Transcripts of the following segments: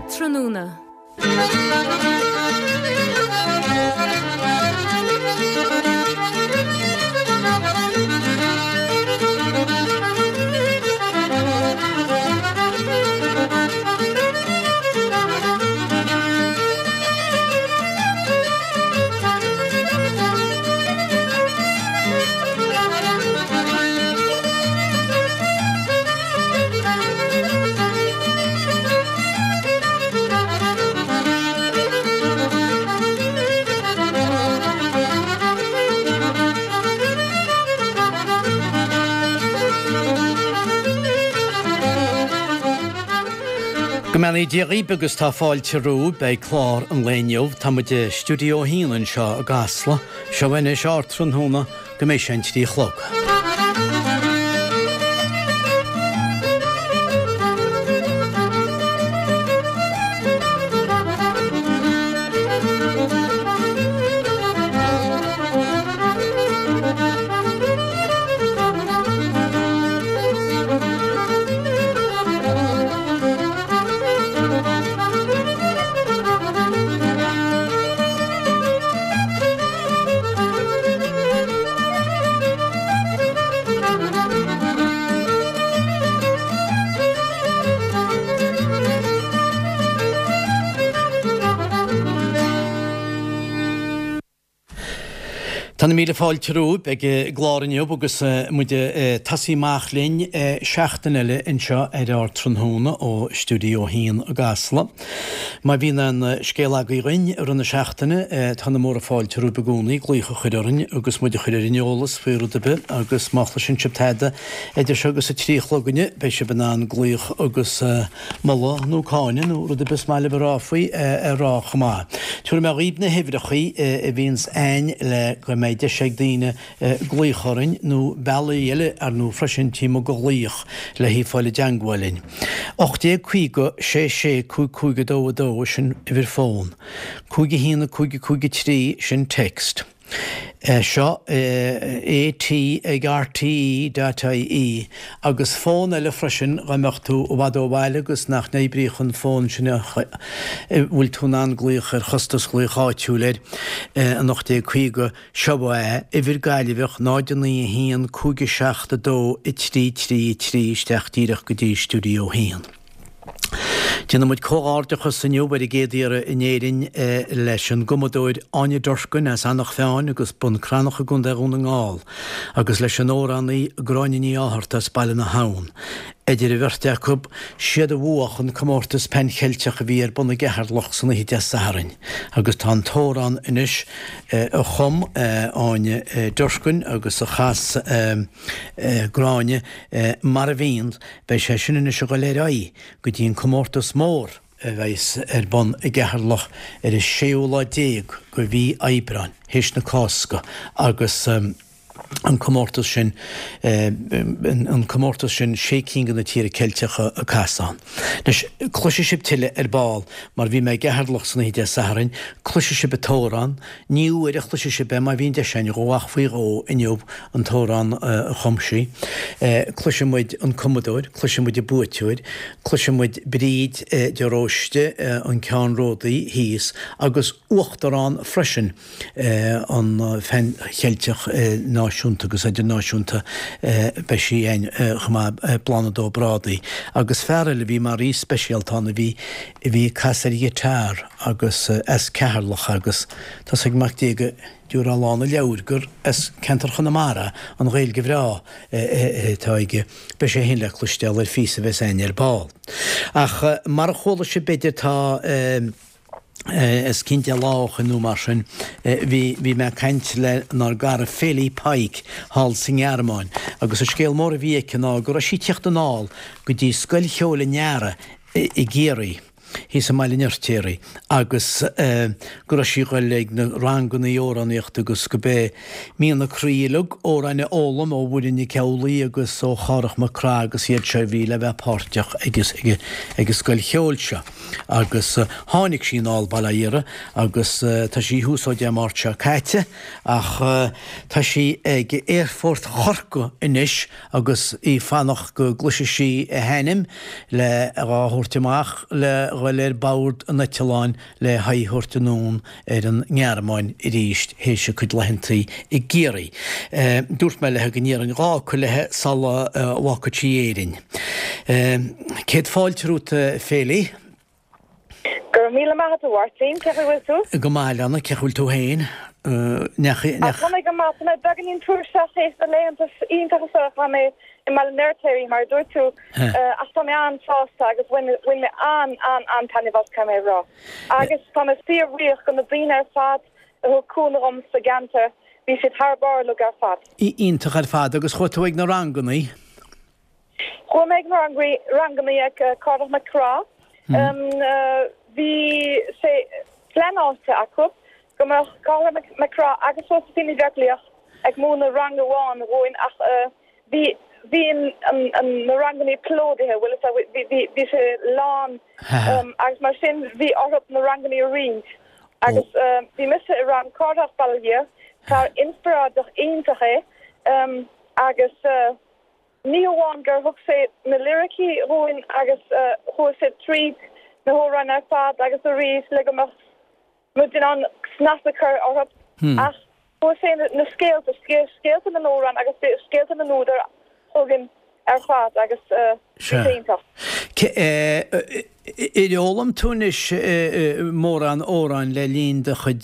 Ardtráthnóna. Go mbeannaí Dia dhaoib agus tá fáilte romhaibh ag clár an lae inniu. Tá muid i Stiúideo 1 anseo i gCasla. Seo anois Ardtráthnóna go mbeidh sé an 3 a chlog. Tá na míle fáilte romhaibh ag an gclár inniu agus muid ag tosaí amach linn seachtain eile anseo ar Ardtráthnóna ó Stiúideo 1 i gCasla. Má bhíonn aon scéal agaibh dhuinn i rith na seachtaine, tá na móra fáilte romhaibh i gcónaí glaoch a chur orainn agus muid a chur ar an eolas faoi rud ar bith agus má chloiseann sibh tada idir seo agus a 3 a chlog inniu, beidh sibh in ann glaoch agus moladh nó cáineadh nó rud ar bith is maith libh a rá faoi a rá chomh maith. Tabharfaidh mé dhaoibh na huimhreachaí a bhíonns a'ainn le go mbeidh deis ag daoine glaoch orainn nó bealaí eile ar ndóigh freisin taobh amuigh de ghlaoch le haghaidh fáil i dteangmháil linn. 1850 6 6 5 5 2 2 sin uimhir fón. 5 1 5 5 3 sin text. Seo AT ag RTE dot IE agus fón eile freisin dá mbeadh tú i bhfad ó bhaile agus nach n-oibríodh an fón sin a bhfuil tú in ann glaoch ar chostas ghlaoch áitiúil air, an 1850 seo é, uimhir Gaillimheach 0 9 1 5 7 2 3 3 3 isteach díreach go dtí Stiúideo 1. Déanann muid comhghairdeachas inniu ar an gcéad iarraidh in Éirinn leis an gcumadóir Áine Durkin as Eanach Mheáin agus Bun Cranncha i gContae Dhún na nGall agus leis an amhránaí Gráinne Ní Fhátharta as Baile na hAbhann. Idir an bheirt acu, siad a bhuach an comórtas Pan Cheilteach a bhí ar bun i gCeatharlach san oíche Dé Sathairn agus tá an t-amhrán anois a chum Áine Durkin agus a chas Gráinne Mar a Bhíonn Beidh sé sin anois ag dul ar aghaidh go dtí an comórtas mór a bheas ar bun i gCeatharlach ar an séú lá déag de mhí Aibreáin, théis na Cásca, agus an comórtas sin, an comórtas sin sé cinn de na tíortha Ceilteacha ag casadh ann. Anois, cloisfidh sibh tuilleadh ar ball, mar bhí mé i gCeatharlach san oíche Dé Sathairn, cloisfidh sibh an t-amhrán, Ní uair a chloisfidh sibh é má bhíonn deis againn dhó ach faoi dhó inniu an t-amhrán a chum sí. Cloisfidh muid an cumadóir, cloisfidh muid an buaiteoir, cloisfidh muid Bríd de Róiste, an ceannródaí thíos agus uachtarán freisin an Phean Cheilteach náisiúnta agus idirnáisiúnta, beidh sí againn chomh maith, Bláthnaid Ó Brádaigh agus fear eile a bhí mar aoi speisialta ann a bhí a bhí ag casadh ar ghiotár. agus as Ceatharlach agus tá's ag Mac Dé go dtiúrfá lán a leabhair gur as ceantar Chonamara an Ghaeilge bhreá atá aige. Beidh sé féin le cloisteáil ar phíosa a bheas againn ar ball. Ach mar a chuala sibh b'fhéidir tá os cionn deich lá ó shoin nó mar sin bhí bhí mé ag caint lenár gcara Fely Pike thall sa nGearmáin agus an scéal mór a bhí aici ná go raibh sí ag tíocht anall go dtí Scoil Cheoil an Earraigh i gCiarraí. thíos i mBaile an Fheirtéaraigh agus go raibh sí ag dul ag na rangannaí amhránaíochta agus go b'é mian a croí uilig amhráin a fhoghlaim ó Mhuireann Nic Amhlaoibh agus ó Chárthach Mac Craith agus iad seo a bhí le bheith páirteach ag ag an scoil cheoil seo agus tháinig sí anall bail ó Dhia uirthi agus tá sí thuas ó Dé Máirt seo caite ach tá sí ag aerfort Chorcaí anois agus í ag fanacht go gcloisfidh sí a hainm le dhá thabhairt amach le. ghoil ar bord an eitealláin le haghaidh a thabhairt anonn ar an nGearmáin arís théis a cuid laethantaí i gCiarraí. Dúirt mé léi go n-iarrfainn 2 fhocal léi sula bhfágfadh sí Éirinn. Céad fáilte romhat, Féilí. Go raibh míle maith agat, a Mháirtín. Cén chaoi a bhfuil tú? Go maith, a Leana. Cén chaoi a bhfuil tú féin? Ndeachaigh, ndeachaigh. Tá mé go maith. Tá mé beagáinín tuirseach théis na laethanta iontacha seo a chaith mé i mBaile an Fheirtéaraigh, mar a dúirt tú. Ach tá mé an-sásta agus bhain bhain mé an-an-an-taitneamh as, caithfidh mé a rá. Agus tá mé fíorbhuíoch go na daoine ar fad a thug cúnamh dhom sa gceantar. Bhí siad thar barr uilig ar fad. Iontach ar fad. Agus chuaigh tú ag na rangannaí? Chuaigh mé ag na rangannaí ag Cárthach Mac Craith. Bhí sé pleanáilte acu go mbeadh Cárthach Mac Craith agus Josephine Ní Bheaglaoich ag múineadh rang amháin dhúinn ach bhí bhí na rangannaí plódaithe, bhfuil fhios agat, bhí bhí sé lán agus mar sin bhí orthu na rangannaí a roinnt. Agus bhí mise i rang Cárthach, bail ó Dhia air, fear inspioráideach iontach é agus. Ní hamháin gur thug sé na liricí dhúinn agus chuaigh sé tríd na hamhráin ar fad agus arís le go mbeadh muid in ann snas a chur orthu ach chuaigh sé na scéalta, scéalta na n-amhrán agus scéalta na n-údar chugainn ar fad agus bhí sé iontach. Ar fhoghlaim tú anois mórán amhráin le linn do chuid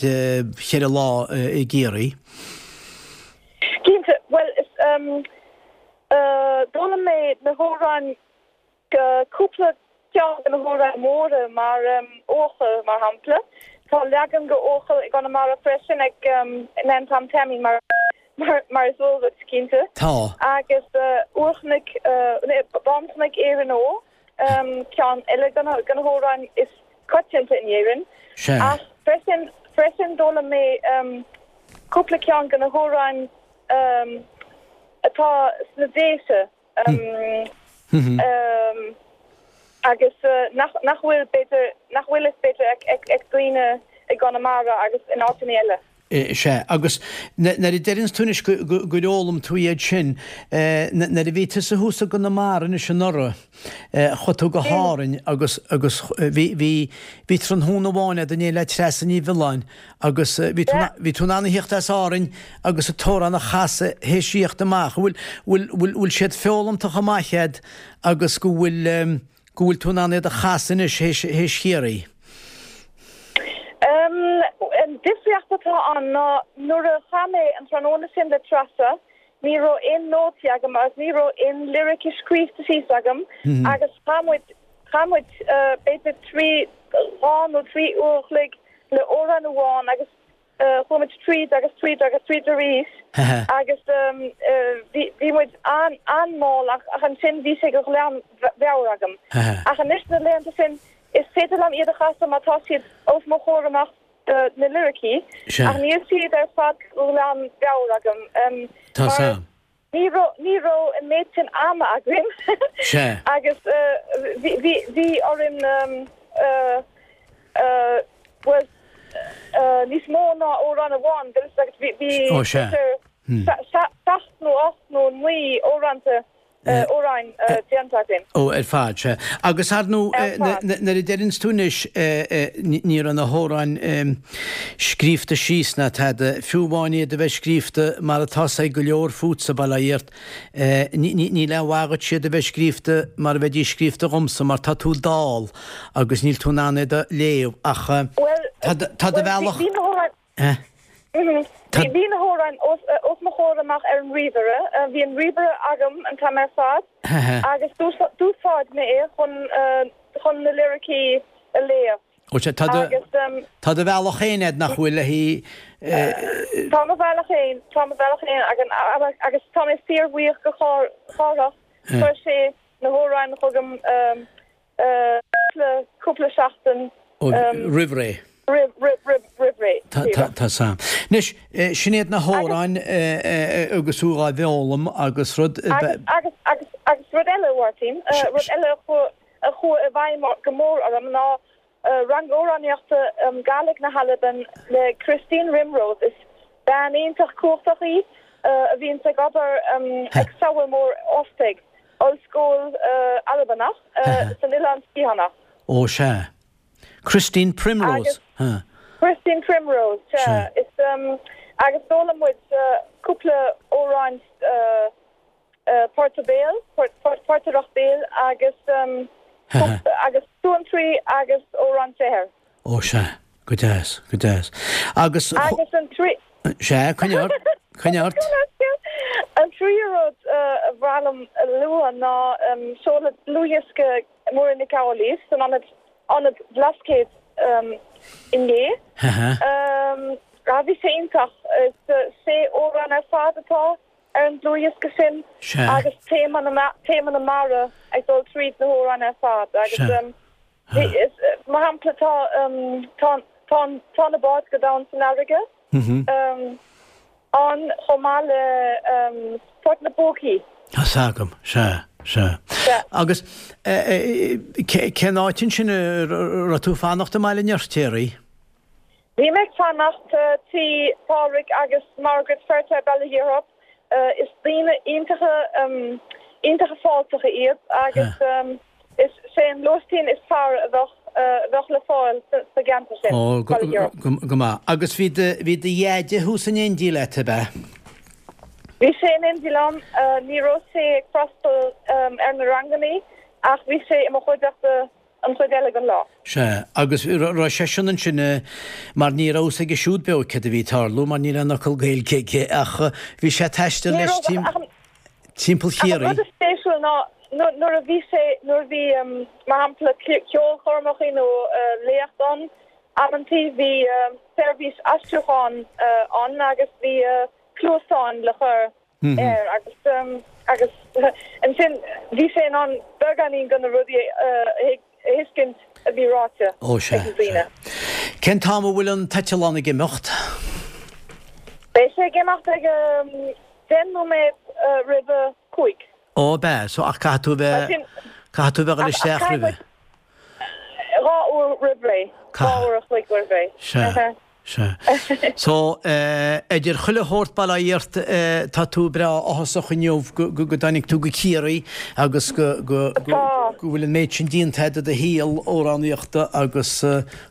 cheithre lá i gCiarraí? Cinnte, bhuel is d'fhoghlaim mé na hamhráin, cúpla ceann de na hamhráin mhóra mar Eochaill mar shampla. Tá leagan de Eochaill i gConamara freisin ag Nan Tom Taimín mar mar is eol duit, cinnte. Tá. Agus Úrchnoic, Bánchnoic Éireann Ó, ceann eile de na hamhráin is coitianta in Éirinn. Sea. Ach freisin, freisin d'fhoghlaim mé cúpla ceann de na hamhráin atá sna Déise agus nach nach bhfuil b'fhéidir, nach bhfuil fhios b'fhéidir ag daoine i gConamara agus in áiteanna eile. Sea, agus nuair a deireanns tú anois gur fhoghlaim tú iad sin, nuair a bhí tusa thuas i gConamara anois anuraidh, chuaigh tú go hÁrainn agus agus bhí bhí bhí tráthnóna amháin agat in éindí le Treasa Ní Mhiolláin agus bhí tú bhí tú in ann a thíocht as Árainn agus an t-amhrán a chasadh théis thíocht amach. Bhfuil bhfuil bhfuil bhfuil siad foghlamtha chomh maith agat agus go bhfuil go bhfuil tú in ann iad a chasadh anois théis théis Chiarraí? An difríocht atá ann ná nuair a chaith mé an tráthnóna sin le Treasa, ní raibh aon nótaí agam agus ní raibh aon liricí scríofa síos agam agus chaith muid, chaith muid b'fhéidir trí, dhá nó trí uair a chloig le amhrán amháin agus chuaigh muid tríd agus tríd agus tríd arís agus bhí, bhí muid an-mhall ach ansin bhí sé go glanmheabhair agam. Ach anois na laethanta sin is féidir liom iad a chasadh má tá siad os mo chomhair amach na liricí ach níl siad ar fad go glanmheabhair agam mar ní raibh, ní raibh an méid sin ama againn agus bhí, bhí, bhí orainn bhuel níos mó ná amhrán amháin, bhí, bhí b'fhéidir seacht nó ocht nó naoi amhránta amhráin déanta againn. Ó, ar fad, sea. Agus ar ndóigh, nuair a deireanns tú anois, ní raibh na hamhráin scríobhta síos ná tada, fiú amháin iad a bheith scríobhta mar atá 's ag go leor fútsa, bail ó Dhia ort, níl aon mhaith dhuit iad a bheith scríobhta mar a bheidís scríobhta dhomsa mar tá tú dall agus níl tú in ann iad a léamh ach tá do bhealach. Bhí na hamhráin os mo chomhair amach ar an ríomhaire. Bhí an ríomhaire agam an t-am ar fad agus d'úsáid mé é chun na liricí a léamh. Ó sea, tá do tá do bhealach féin agat nach bhfuil le hí. Tá mo bhealach féin, tá mo bhealach féin agus tá mé fíorbhuíoch go Chárthach, chuir sé na hamhráin chugam. cúpla seachtain roimh ré. Roimh ré. Tá sam. Anois, sin iad na hamhráin agus thú dhá bhfoghlaim agus rud. Agus, agus, agus rud eile, a Mháirtín, rud eile a chuaigh i bhfeidhm go mór orm ná rang amhránaíochta Gàidhlig na hAlban le Christine Rimrose. Is bean iontach cumhachtach í a bhíonns ag obair ag Sabhal Mòr Ostaig. Ollscoil Albanach san Oileán Sgitheanach. Ó sea. Christine Primrose. Agus Christine Primrose, sea. Is agus d'fhoghlaim muid cúpla amhrán porta béil, portaireacht béil agus agus suantraí agus amhrán saothair. Ó sea, go deas, go deas. Agus. Agus an trí. Sea, coinnigh ort, coinnigh ort. An tríú rud a ba mhaith liom a lua ná seoladh dlúthdhiosca Muireann Nic Amhlaoibh san Ionad Ionad Blascaod inné. Bhí sé iontach. Is sé amhrán ar fad atá ar an dlúthdhiosca sin agus téama na téama na mara ag dul tríd na hamhráin ar fad agus mar shampla tá tá tá tá na báid go domhain san fharraige ann chomh maith le Port na bPócaí. Tá's agam, sea, sea. Agus cén áit ansin a raibh tú ag fanacht i mBaile an Fheirtéaraigh? Bhí mé ag fanacht tí Phádraig agus Margaret Feirtéar Baile Thiarthóip. Is daoine iontacha iontacha fáilteacha iad agus is é an lóistín is fearr a bheadh a bheadh le fáil sa gceantar sin, Ó, go, Baile Thiarthóip. go maith. Agus bhí do, bhí do dheaide thuas in éindí leat, ab ea? Bhí sé in éindí liom. Ní raibh sé ag freastal ar na rangannaí ach bhí sé i mo chuideachta an chuid eile den lá. Sea, agus raibh seisean ansin mar ní raibh fhios aige siúd beo céard a bhí ag tarlú mar ní raibh aon fhocal Gaeilge aige ach bhí sé ag taisteal leis timpeall Chiarraí. Ach an rud is spéisiúil ná nuair a bhí sé, nuair a bhí mar shampla ceolchoirmeacha nó léacht ann, amantaí bhí seirbhís aistriúcháin ann agus bhí cluasáin le cur air agus agus ansin bhí sé in ann beagáinín de na rudaí a thuiscint a bhí ráite Ó sea, ag na daoine. sea. Cén t-am a bhfuil an t-eitleán ag imeacht? Beidh sé ag imeacht ag 10 nóiméad roimh a 5. Ó ab ea, so ach caithfidh tú a bheith, caithfidh tú a bheith ag dul isteach roimhe. Dhá uair roimh ré, dhá uair a chloig roimh ré. Sea. Sea. So, idir chuile shórt bail ó Dhia ort, tá tú breá áthasach inniu go dtáinig tú go Ciarraí agus go bhfuil an méid sin déanta agat de do shaol amhránaíochta agus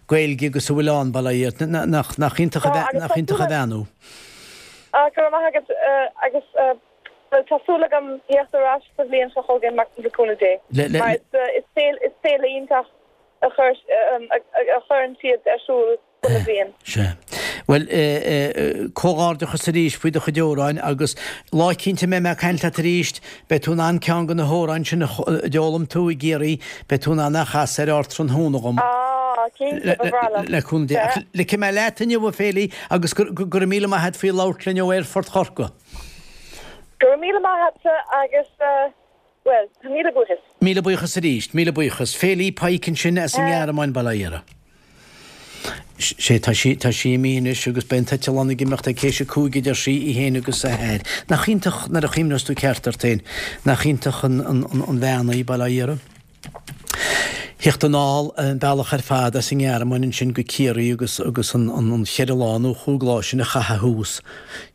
Gaeilge agus a bhfuil ann, bail ó Dhia ort. Nach iontach a bheannú. Go raibh maith agat agus bhuel tá súil agam theacht ar ais sa bhliain seo chugainn le cúnamh Dé mar is féile iontach a chuireann siad ar siúl chuile bhliain. Sea. Bhuel, comhghairdeachas arís faoi do chuid amhráin agus lá eicínt a mbeidh mé ag caint leat arís, beidh tú in ann ceann de na hamhráin sin a d'fhoghlaim tú i gCiarraí, beidh tú in ann a chasadh ar Ardtráthnóna dhom. Ah, cinnte, ba bhreá liom. Le cúnamh Dé. Ach ligfidh mé leat inniu, a Féilí, agus go raibh míle maith a't faoi labhairt linn ó Aerfort Chorcaí. Go raibh míle maith a't agus. Bhuel, míle buíochas. Míle buíochas arís, míle buíochas. Féilí Pike ansin as an nGearmáin, bail ó Dhia uirthi. Sé, tá sí, tá sí imithe anois agus beidh an t-eitleán ag imeacht ag théis a cúig a deir sí, í féin agus a hathair. Nach iontach nuair a chuimhneos tú ceart ort féin, nach iontach an, an, an bhean í, bail ó Dhia uirthi. Theacht anall an bealach ar fad as an nGearmáin ansin go Ciarraí agus agus an an cheithre lá nó chúig lá sin a chaitheamh thuas.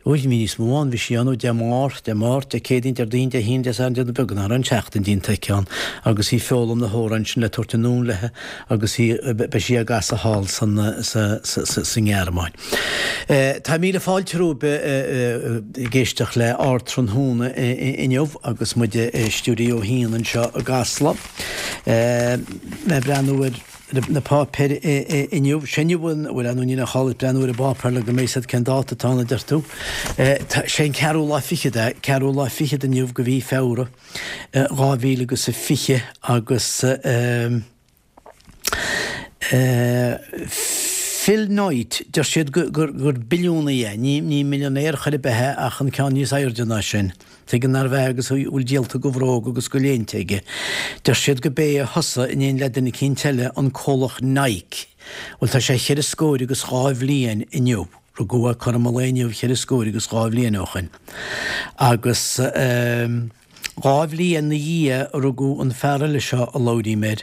Ó bhí níos mó ann, bhí sí ann ó Dé Máirt, Dé Máirt, Dé Céadaoin, Déardaoin, Dé hAoine, Dé Sathairn, Dé Beag nach raibh an tseachtain déanta aici ann agus í ag foghlaim na hamhráin sin le tabhairt anonn léi agus í beidh sí á gcasadh thall san sa sa sa nGearmáin. Tá míle fáilte romhaibh ag éisteacht le Ardtráthnóna inniu agus muid i Stiúideo a hAon anseo i gCasla. Mé ag breathnú ar na páipéir inniu. Sé inniu an, bhuel, ar ndóigh níl aon chall ag breathnú ar an bpáipéar le go mbeidh 'fhios a'd cén dáta atá ann a deir tú. Sé an ceathrú lá fichead é, ceathrú lá fichead inniu de mhí Feabhra 2000 agus a 20 agus. Phil Knight, deir siad gur billiúnaí é, ní millionaire chor ar bith é ach an ceann níos airde ná sin. Tuige nárbh ea agus a bhfuil díolta de bhróga agus de léinte aige. Deir siad gurb é a thosaigh, in éindí le duine eicínt eile, an comhlacht Nike. Bhuel, tá sé cheithre scóir agus dhá bhliain inniu. Rugadh é cothrom an lae inniu cheithre scóir agus dhá bhliain ó shoin. Agus. Dhá bhliain 'na dhiaidh a rugadh an fear eile seo a labhraím air,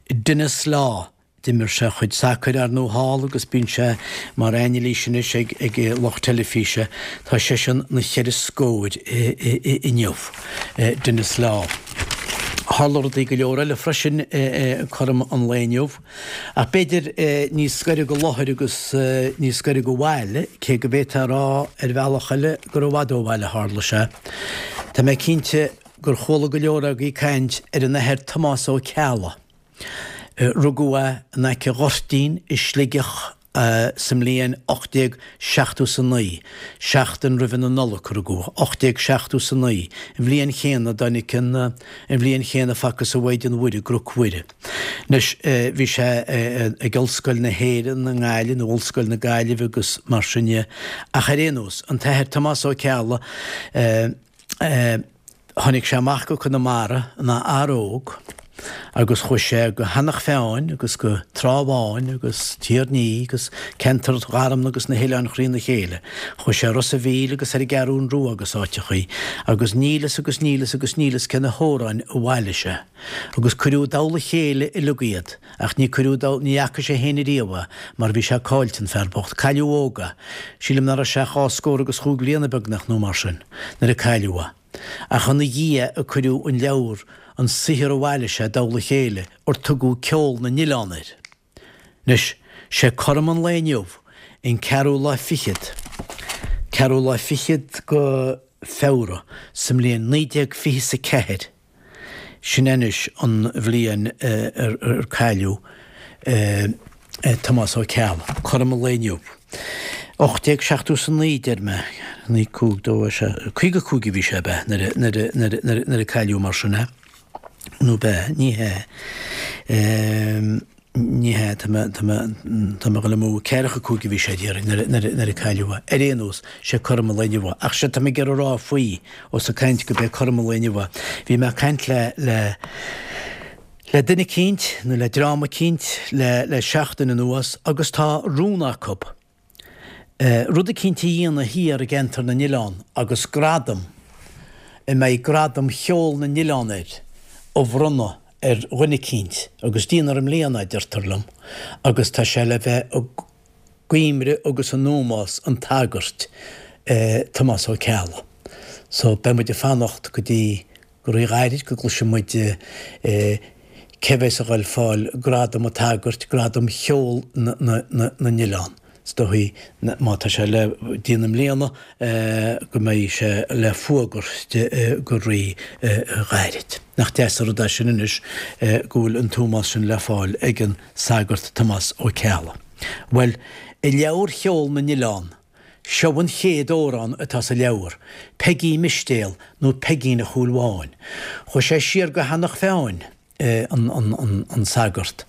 Denis Law. D'imir sé a chuid sacair ar ndóigh thall agus bíonn sé mar ainilís anois ag lucht teilifíse. Tá seisean 'na cheithre scóir inniu, Denis Law. Tharla rudaí go leor eile freisin cothrom an lae inniu, ach b'fhéidir níos gaire go láthair agus níos gaire go bhaile, cé go bhféadfá a rá ar bhealach eile gur i bhfad ó bhaile a tharla sé. Tá mé cinnte gur chuala go leor agaibh caint ar an Athair Tomás Ó Ceallaigh. Rugadh é in aice Ghoirtín i Sligeach sa mbliain 1879, seachtain roimhe na Nollag a rugadh, 1879, an bhliain chéanna a dtáinig an, an bhliain chéanna a facthas an Mhaighdean Mhuire i gCnoc Mhuire. Anois, bhí sé ag Ollscoil na hÉireann i nGaillimh, nó Ollscoil na Gaillimhe agus mar sin dhe, ach ar aon nós, an tAthair Tomás Ó Ceallaigh, Tháinig sé amach go Conamara ina fhear óg agus chuaigh sé go hEanach Mheáin agus go Trá Bháin agus Tír an Fhia agus ceantar Gharmna agus na hOileáin thrína chéile. Chuaigh sé Ros a' Mhíl agus ar an gCeathrún Rua agus áiteachaí agus níl fhios agus níl fhios agus níl fhios cé na hamhráin a bhailigh sé. Agus cuireadh i dtoll a chéile uileag iad. Ach ní cuireadh dó, ní fhaca sé fhéin ariamh é, mar bhí sé caillte, an fear bocht. Cailleadh óg é. Sílim ná raibh sé ach dhá scór agus chúig bhliana beagnach nó mar sin, nuair a cailleadh é. Ach ina dhiaidh a cuireadh an leabhar, an saothar a bhailigh sé i dtoll a chéile, ar tugadh Ceol na nOileán air. Anois, sé cothrom an lae inniu, an ceathrú lá fichead, ceathrú lá fichead go Feabhra, sa mbliain 1924, Sin anois an bhliain ar cailleadh Tomás Ó Ceallaigh. Cothrom an lae inniu. 1879 deir mé, 9, 5, 2, 6, 55 a bhí sé ab ea nuair a cailleadh mar sin é? Nó ab ea? Ní hea. Ní hea, tá mé, tá mé, tá mé ag dul amú, ceathracha cúig a bhí sé déarfainn nuair a, nuair a, nuair a cailleadh é. Ar aon nós, sé cothrom an lae inniu é. Ach séard tá mé ag iarraidh a rá faoi, ós ag caint go b'é cothrom an lae inniu é. Bhí mé ag caint le, le, le duine eicínt, nó le dream eicínt le, le seachtain anuas agus tá rún acu, rud eicínt a dhéanamh thiar i gceantar na n-oileán agus gradam, a mbeidh Gradam Cheol na nOileán air, a bhronnadh ar dhuine eicínt agus déanfar i mbliana é, deirtear liom, agus tá sé le bheith i gcuimhne agus in ómós an tsagairt, Tomás Ó Ceallaigh. So, beidh muid ag fanacht go dtí Go rí-ghairid go gcloisfidh muid cé bheas a dhul fáil Gradam an tSagairt, Gradam Cheol na nOileán. Is dóichí, má tá sé le déanamh i mbliana, go mbeidh sé le fuagairt go rí-ghairid. Nach deas an rud é sin anois go bhfuil an t-ómós sin le fáil ag an Sagart Tomás Ó Ceallaigh. Bhuel, i leabhar Cheol na nOileán, Seo an chéad amhrán atá sa leabhar, Peigí Mistéal nó Peigín a' Chúil Bháin. Chuaigh sé siar go hEanach Mheáin, an sagart.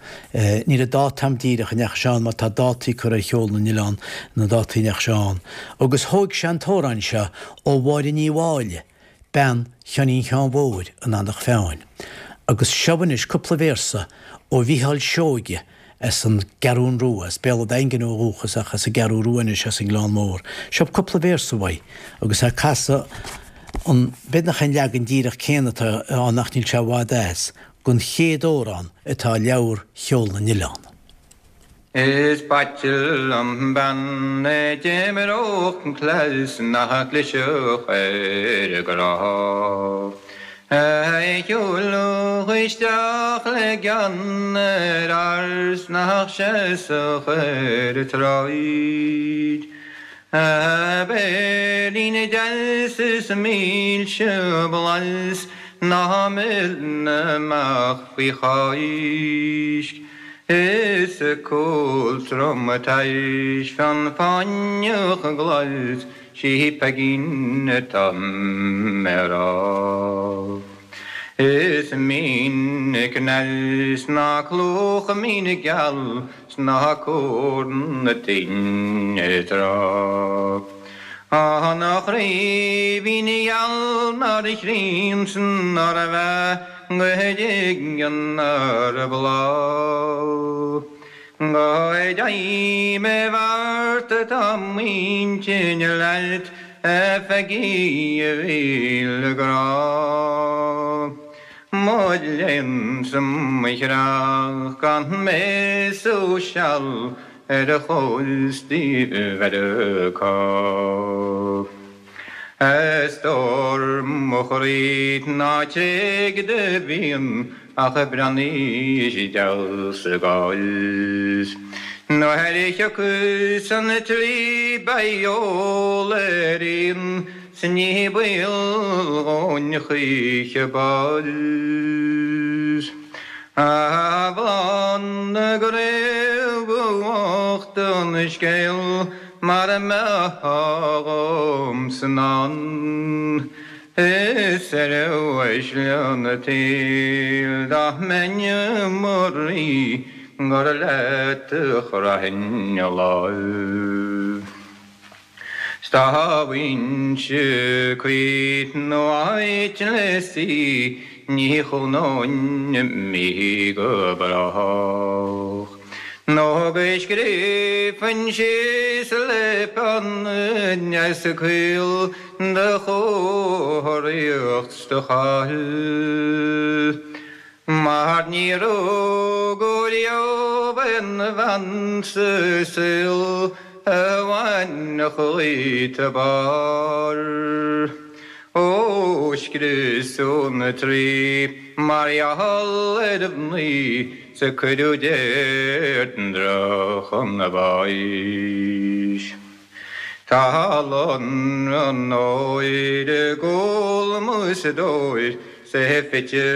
Níl an dáta a'm díreach a ndeachaigh sé ann mar tá dátaí curtha ar Cheol na nOileán, na dátaí a ndeachaigh sé ann. Agus thóig sé an t-amhrán seo ó Mháire Ní Mháille, bean Sheáinín Sheáin Mhóir in Eanach Mheáin. Agus seo anois cúpla véarsa ó Mhícheál Seoige as an gCeathrún Rua, as Béal an Daingin ó dhúchas ach as an gCeathrú Rua anois as an nGleann Mór. Seo cúpla véarsa uaidh agus é ag casadh an, b'fhéidir nach é an leagan díreach céanna atá ann ach níl sé i bhfad as, den chéad amhrán atá i leabhar Cheol na nOileán. Is b'ait liom bean a d'imreodh cleas nach gclisfeadh ar a grá. A shiúlfadh isteach le gean ar fhear 's nach seasfadh ar an tsráid. A béilín deas is milse blas ná milleann amach faoi Cháisc. Is a cúl trom tais fionn fáinneach glas Sí Peigín atá mé a rá. Is mín cneas ná clúmh mín geal 's ná cúr na tine tráth. An chraoibhín gheal nár chríon 's nár mheath go dtuigeann ar bhláth. Go dtéim i bhfeart atá m'intinn leat, a Pheigí a mhíle grá. Mo léan 's mo chreach gan mé sú seal ar chóstaí Mheiriceá. A stór mo chroí ná tréig do mhian ach breathnaigh isteach sa gcás. Nuair a thiocfas an tslí beidh eol ar aon 's ní baol dhúinn choíche bás. A Bhláth na gcraobh ba bhocht an scéal Mara mbeifeá dhomsa in ann Is ar uaisle an tsaoil dá mbeinn i mo rí gur leat a chroithfinn láimh. 'S dá bhfaighinnse cúis nó áit le suí ní chónóinn imithe go brách. Nó go scríobfainn síos le peann deas caol do chóiríocht 's do cháil. Mar ní rugadh riamh aon bhean sa saol a bhainfeadh dhuit a barr. Ó scriosadh na Traí mar gheall ar mhnaoi 's a cuireadh Deirdre chun báis. Tá lonradh an óir i gcúl mo stóir 's é fite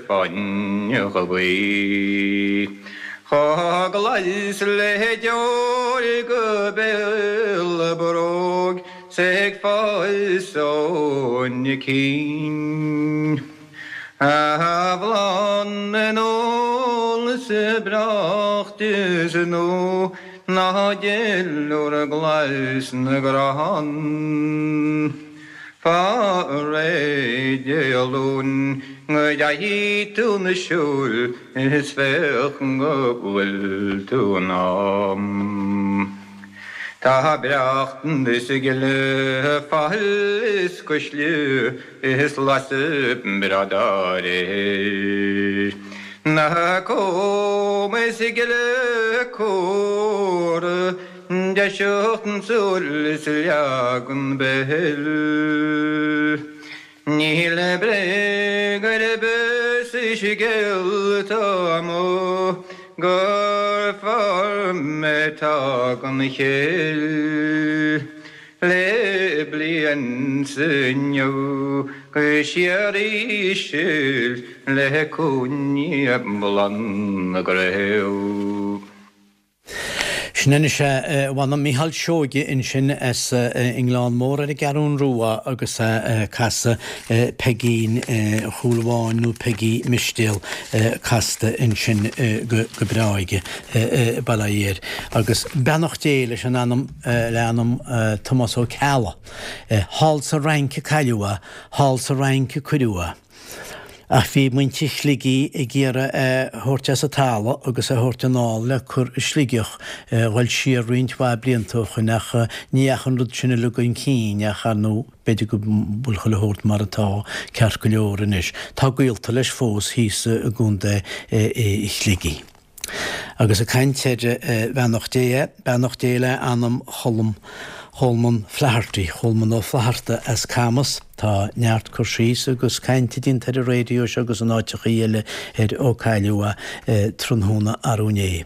fán ghaoth. Chomh glas le deoir go béal a bróg 's é ag fás óna cinn. A Bhláth na n-úll is breácht is nua ná duilliúr glas na gcrann. Faigh réidh Dé Luain go dteachaidh tú 'na siúil is féach go bhfuil tú in am. Tá breacht is gile, faill is cuisle is lasadh breá dá réir. Na cóma is gile cumhra, deiseacht súl is leagan béil. Níl bréag ar bith sa scéal atá amuigh gur fearr mé atá gan chéill le bliain 's inniu go síoraí sil le cúinne Bhláth na gCraobh. Sin anois é, mh'anam, Mícheál Seoige ansin as an nGleann Mór ar an gCeathrún Rua agus é ag casadh Peigín Chúil Bháin nó Peigí Mistéal casta ansin go breá aige, bail ó Dhia air. Agus beannacht Dé leis an anam, le anam Tomás Ó Ceallaigh. Thall sa Fhrainc a cailleadh é, thall sa Fhrainc a cuireadh é. Ach bhí muintir Shligigh ag iarraidh é thabhairt as an talamh agus é thabhairt anall le cur i Sligeach, dhul siar roinnt mhaith blianta ó shoin ach ní dheachaigh an rud sin uilig chun cinn ach ar ndóigh b'fhéidir go bhfuil chuile shórt mar atá ceart go leor anois. Tá gaolta leis fós thíos i gContae Shligigh. Agus ag caint ar bheannacht Dé, beannacht Dé le anam Cholm, Cholman Flaherty, Cholman Ó Flatharta as Camas. Tá neart cur síos agus cainte déanta ar an raidió seo agus in áiteachaí eile ar ó cailleadh é tráthnóna arú inné.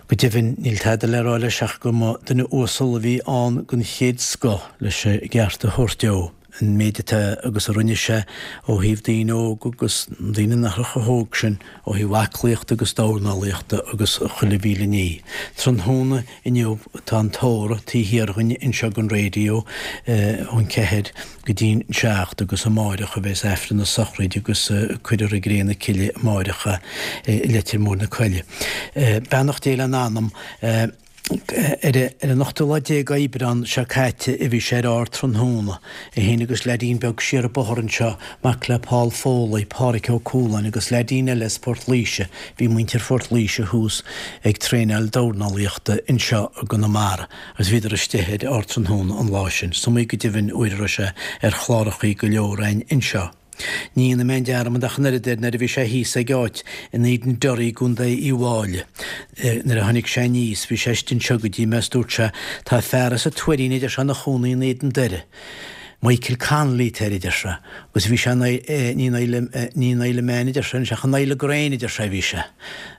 Go deimhin níl tada le rá leis ach go mba duine uasal a bhí ann den chéad scoth leis an gceart a thabhairt dó. an méid atá agus a rinne sé ó thaobh daoine óga agus daoine nach raibh chomh hóg sin ó thaobh aclaíochta agus dornálaíochta agus chuile mhíle ní. Tráthnóna inniu tá an tórramh taobh thiar dhúinn anseo den raidió ón ceathair go dtí'n seacht agus amáireach a bheas Aifreann na sochraide agus cuirfear i gcré na cille amáireach é i Leitir Móir na Coille. Beannacht Dé lena anam. Ar an ochtú lá déag Aibreán seo caite a bhí sé ar ár dtráthnóna, é féin agus leaidín beag siar an bóthar anseo, mac le Paul Foley, Páraic Ó Cualáin agus leaidín eile as Port Laoise, bhí muintir Phort Laoise thuas ag traenáil dornálaíochta anseo i gConamara agus bhíodar istigh ar ár dtráthnóna an lá sin. Is iomaí go deimhin uair a raibh sé ar chlárachaí go leor againn anseo. Ní dhéanfaidh mé aon dearmad ach an oiread air nuair a bhí sé thíos ag áit in Éadan Doire i gContae Uíbh Fháilí. Nuair a tháinig sé aníos bhí sé istigh anseo go dtí mé is dúirt sé, Tá fear as an Tuairín a deir sé ina chónaí in Éadan Doire. Michael Connolly atá air a deir sé, agus bhí sé in ní in Isle, ní in Isle Man a deir sé anois ach in Isle Grain a deir sé a bhí sé,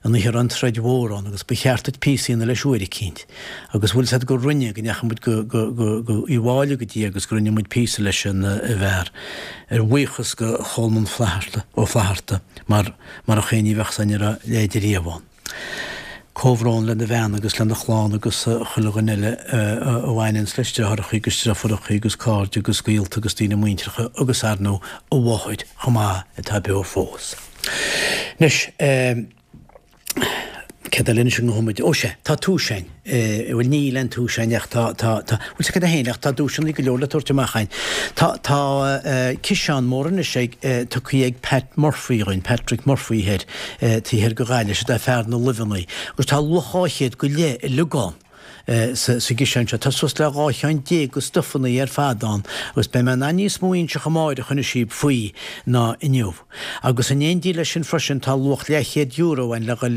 an oíche a raibh an troid mhór ann agus ba cheart duit píosa a dhéanamh leis uair eicínt. Agus bhfuil 'fhios a'd go rinne, go ndeachaigh muid go, go, go, go Uíbh Fháilí go dtí agus go rinne muid píosa leis an bhfear, ar bhuíochas go Cholmán Flatharta, Ó Flatharta, mar, marach é ní bheadh 'fhios a'inn an raibh a leithéid riamh ann. Comhbhrón lena bhean agus lena chlann agus chuile dhuine eile a bhaineanns leis, deartháireachaí agus deirfiúrachaí agus cairde agus gaolta agus daoine muinteartha agus ar ndóigh a mháthair chomh maith atá beo fós. Anois, céard eile anois a ngabhfaidh muid? Ó sea, tá duais a'inn. Bhuel níl aon duais a'inn ach tá, tá, tá, bhfuil 'fhios a'd cad é féin ach tá duaiseanna go leor le tabhairt amach a'inn. Tá, tá ciseán mór anois ag, tugtha ag Pat Murphy dhúinn, Patrick Murphy thoir, taobh thoir de Ghaillimh, siod é fear na luibheanna. Agus tá luach 200 go leith uilig ann sa, sa gciseán seo. Tá suas le 12 cheann de stufanna ar fad ann agus beidh mé in ann níos mó a inseacht amáireach anois daoibh faoi ná inniu. Agus in éindí leis sin freisin tá luach leathchéad euro ann le dhul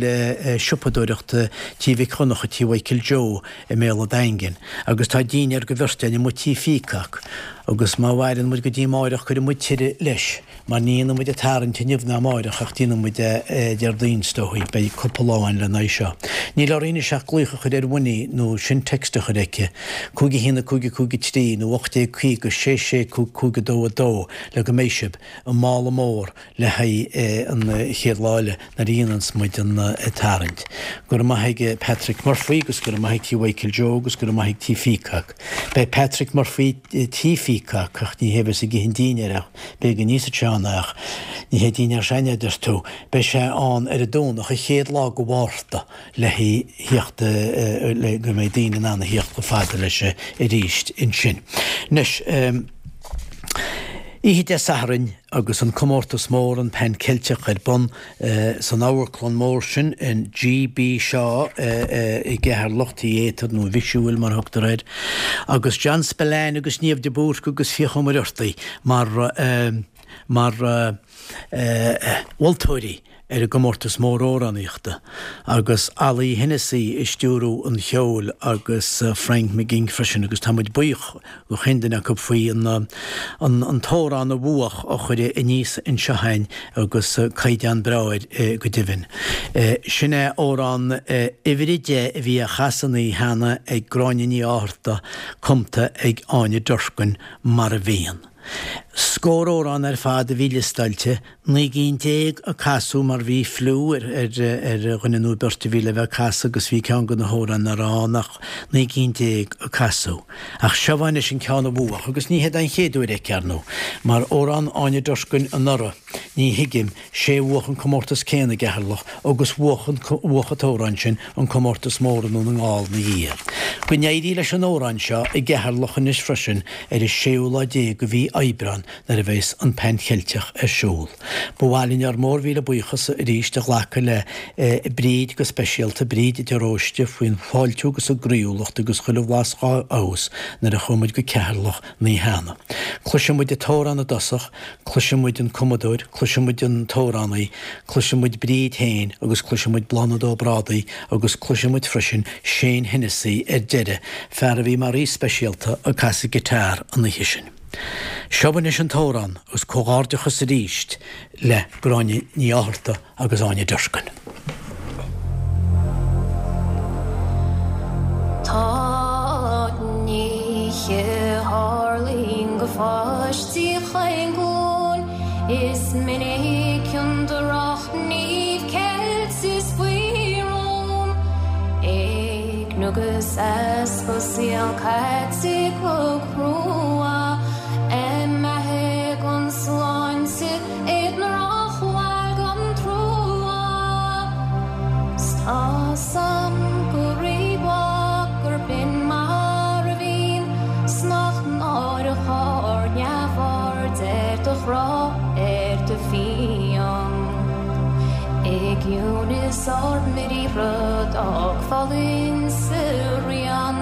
siopadóireacht Tí Mhic Dhonncha, Tí Mhichael Joe i mBéal a' Daingin. Agus tá dinnéar go bheirt ann amuigh Tí Pheacock. Agus má mhaireann muid go dtí amáireach cuirfidh muid tuilleadh leis, mar ní dhéanfaidh muid an tarraingt inniu ná amáireach ach déanfaidh muid é Déardaoin is dóichí. Beidh cúpla lá ann lena aghaidh seo. Níl orainn anois ach glaoch a chur ar Winnie nó sin text a chur aici. 5 1 5 5 3 nó 1850 6 6 5 5 2 2 le go mbeidh sibh i mála mór le haghaidh an chéad lá eile nuair a dhéananns muid an tarraingt. Go raibh maith ag Patrick Murphy agus go raibh maith ag Tí Mhichael Joe agus go raibh maith ag Tí Pheacock. Beidh Patrick Murphy Tí Pheacock ach ní hé a bheas ag ithe an dinnéir ach b'fhéidir go n-íosfadh sé ann ach ní hé dinnéar s'againne a deir tú. Beidh sé ann ar an Domhnach an chéad lá de Mhárta le theacht le go mbeidh daoine in ann a theacht chomh fada leis arís ansin. Anois, oíche Dé Sathairn agus an comórtas mór, an Pan Ceilteach ar bun san amharclann mór sin in G.B. Shaw i gCeatharlach, Theatre nó Visual mar a thugtar air, agus John Spillane agus Niamh de Búrca agus Fiach Ó Muircheartaigh mar mar mholtóirí ar an gcomórtas mór amhránaíochta, agus Ollie Hennessy ag stiúrú an cheoil agus Frank McGing freisin, agus tá muid buíoch do chaon duine acu faoi an an t-amhrán a bhuach a chur aníos anseo a'inn agus caighdeán breá air go deimhin. Sin é amhrán uimhir a deich a bhí á chasadh an oíche cheana ag Gráinne Ní Fhátharta, cumta ag Áine Durkin, Mar a Bhíonn. Scór amhrán ar fad a bhí liostáilte, 19 gcinn a casadh mar bhí fliú ar dhuine nó beirt a bhí le bheith ag casadh agus bhí ceann de na hamhráin nach raibh ann ach 19 gcinn a casadh. Ach seo anois an ceann a bhuach agus ní hé don chéad uair aici, ar ndóigh, mar amhrán Áine Durkin anuraidh, Ní Thuigim, sé a bhuach an comórtas céanna i gCeatharlach agus bhuach an bhuach an t-amhrán sin an comórtas mór i nDún na nGall 'na dhiaidh. Go n-éirí leis an amhrán seo i gCeatharlach anois freisin ar an séú lá déag de mhí Aibreán nuair a bheas an Pan Cheilteach ar siúl. Ba mhaith linn ár mór-mhíle buíochas arís a ghlacadh le Bríd go speisialta, Bríd de Róiste, faoin bhfáiltiú agus an gcroíúlacht agus chuile bhlas dhá fheabhas nuair a chuaigh muid go Ceatharlach an oíche cheana. Cloisfidh muid an t-amhrán i dtosach, cloisfidh muid an cumadóir, cloisfidh muid an t-amhránaí, cloisfidh muid Bríd féin agus cloisfidh muid Bláthnaid Ó Brádaigh agus cloisfidh muid freisin Shane Hennessy ar deireadh, fear a bhí mar aoi speisialta ag casadh guitar an oíche sin. Seo anois an t-amhrán agus comhghairdeachas arís le Gráinne Ní Fhátharta agus Áine Durkin. Tá nithe a tharlaíonn go pháistí chaon ghlúin, Is minic an drochghníomh ceilte is faoi rún, Éigniú agus easpa saol caite go crua, Imithe gan sláinte I ndrochbhail gan trua 's tá's a'm go rímhaith gurb in mar a bhíonn 's nach náireach ár neamhaird ar do ghrá ar do phian. I gciúnas ár mbriathra d'fhágfá linn sa rian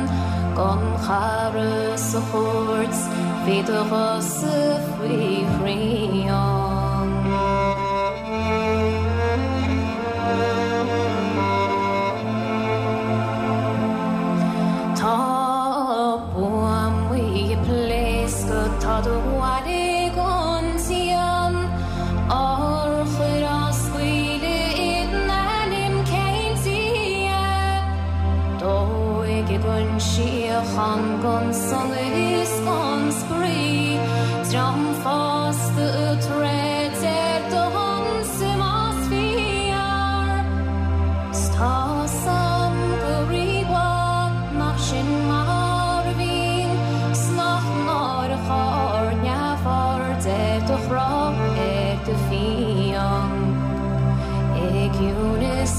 gan chara sa chúirt bhí do ghuthsa faoi shrian. Tá buamaí ag pléascadh, tá do.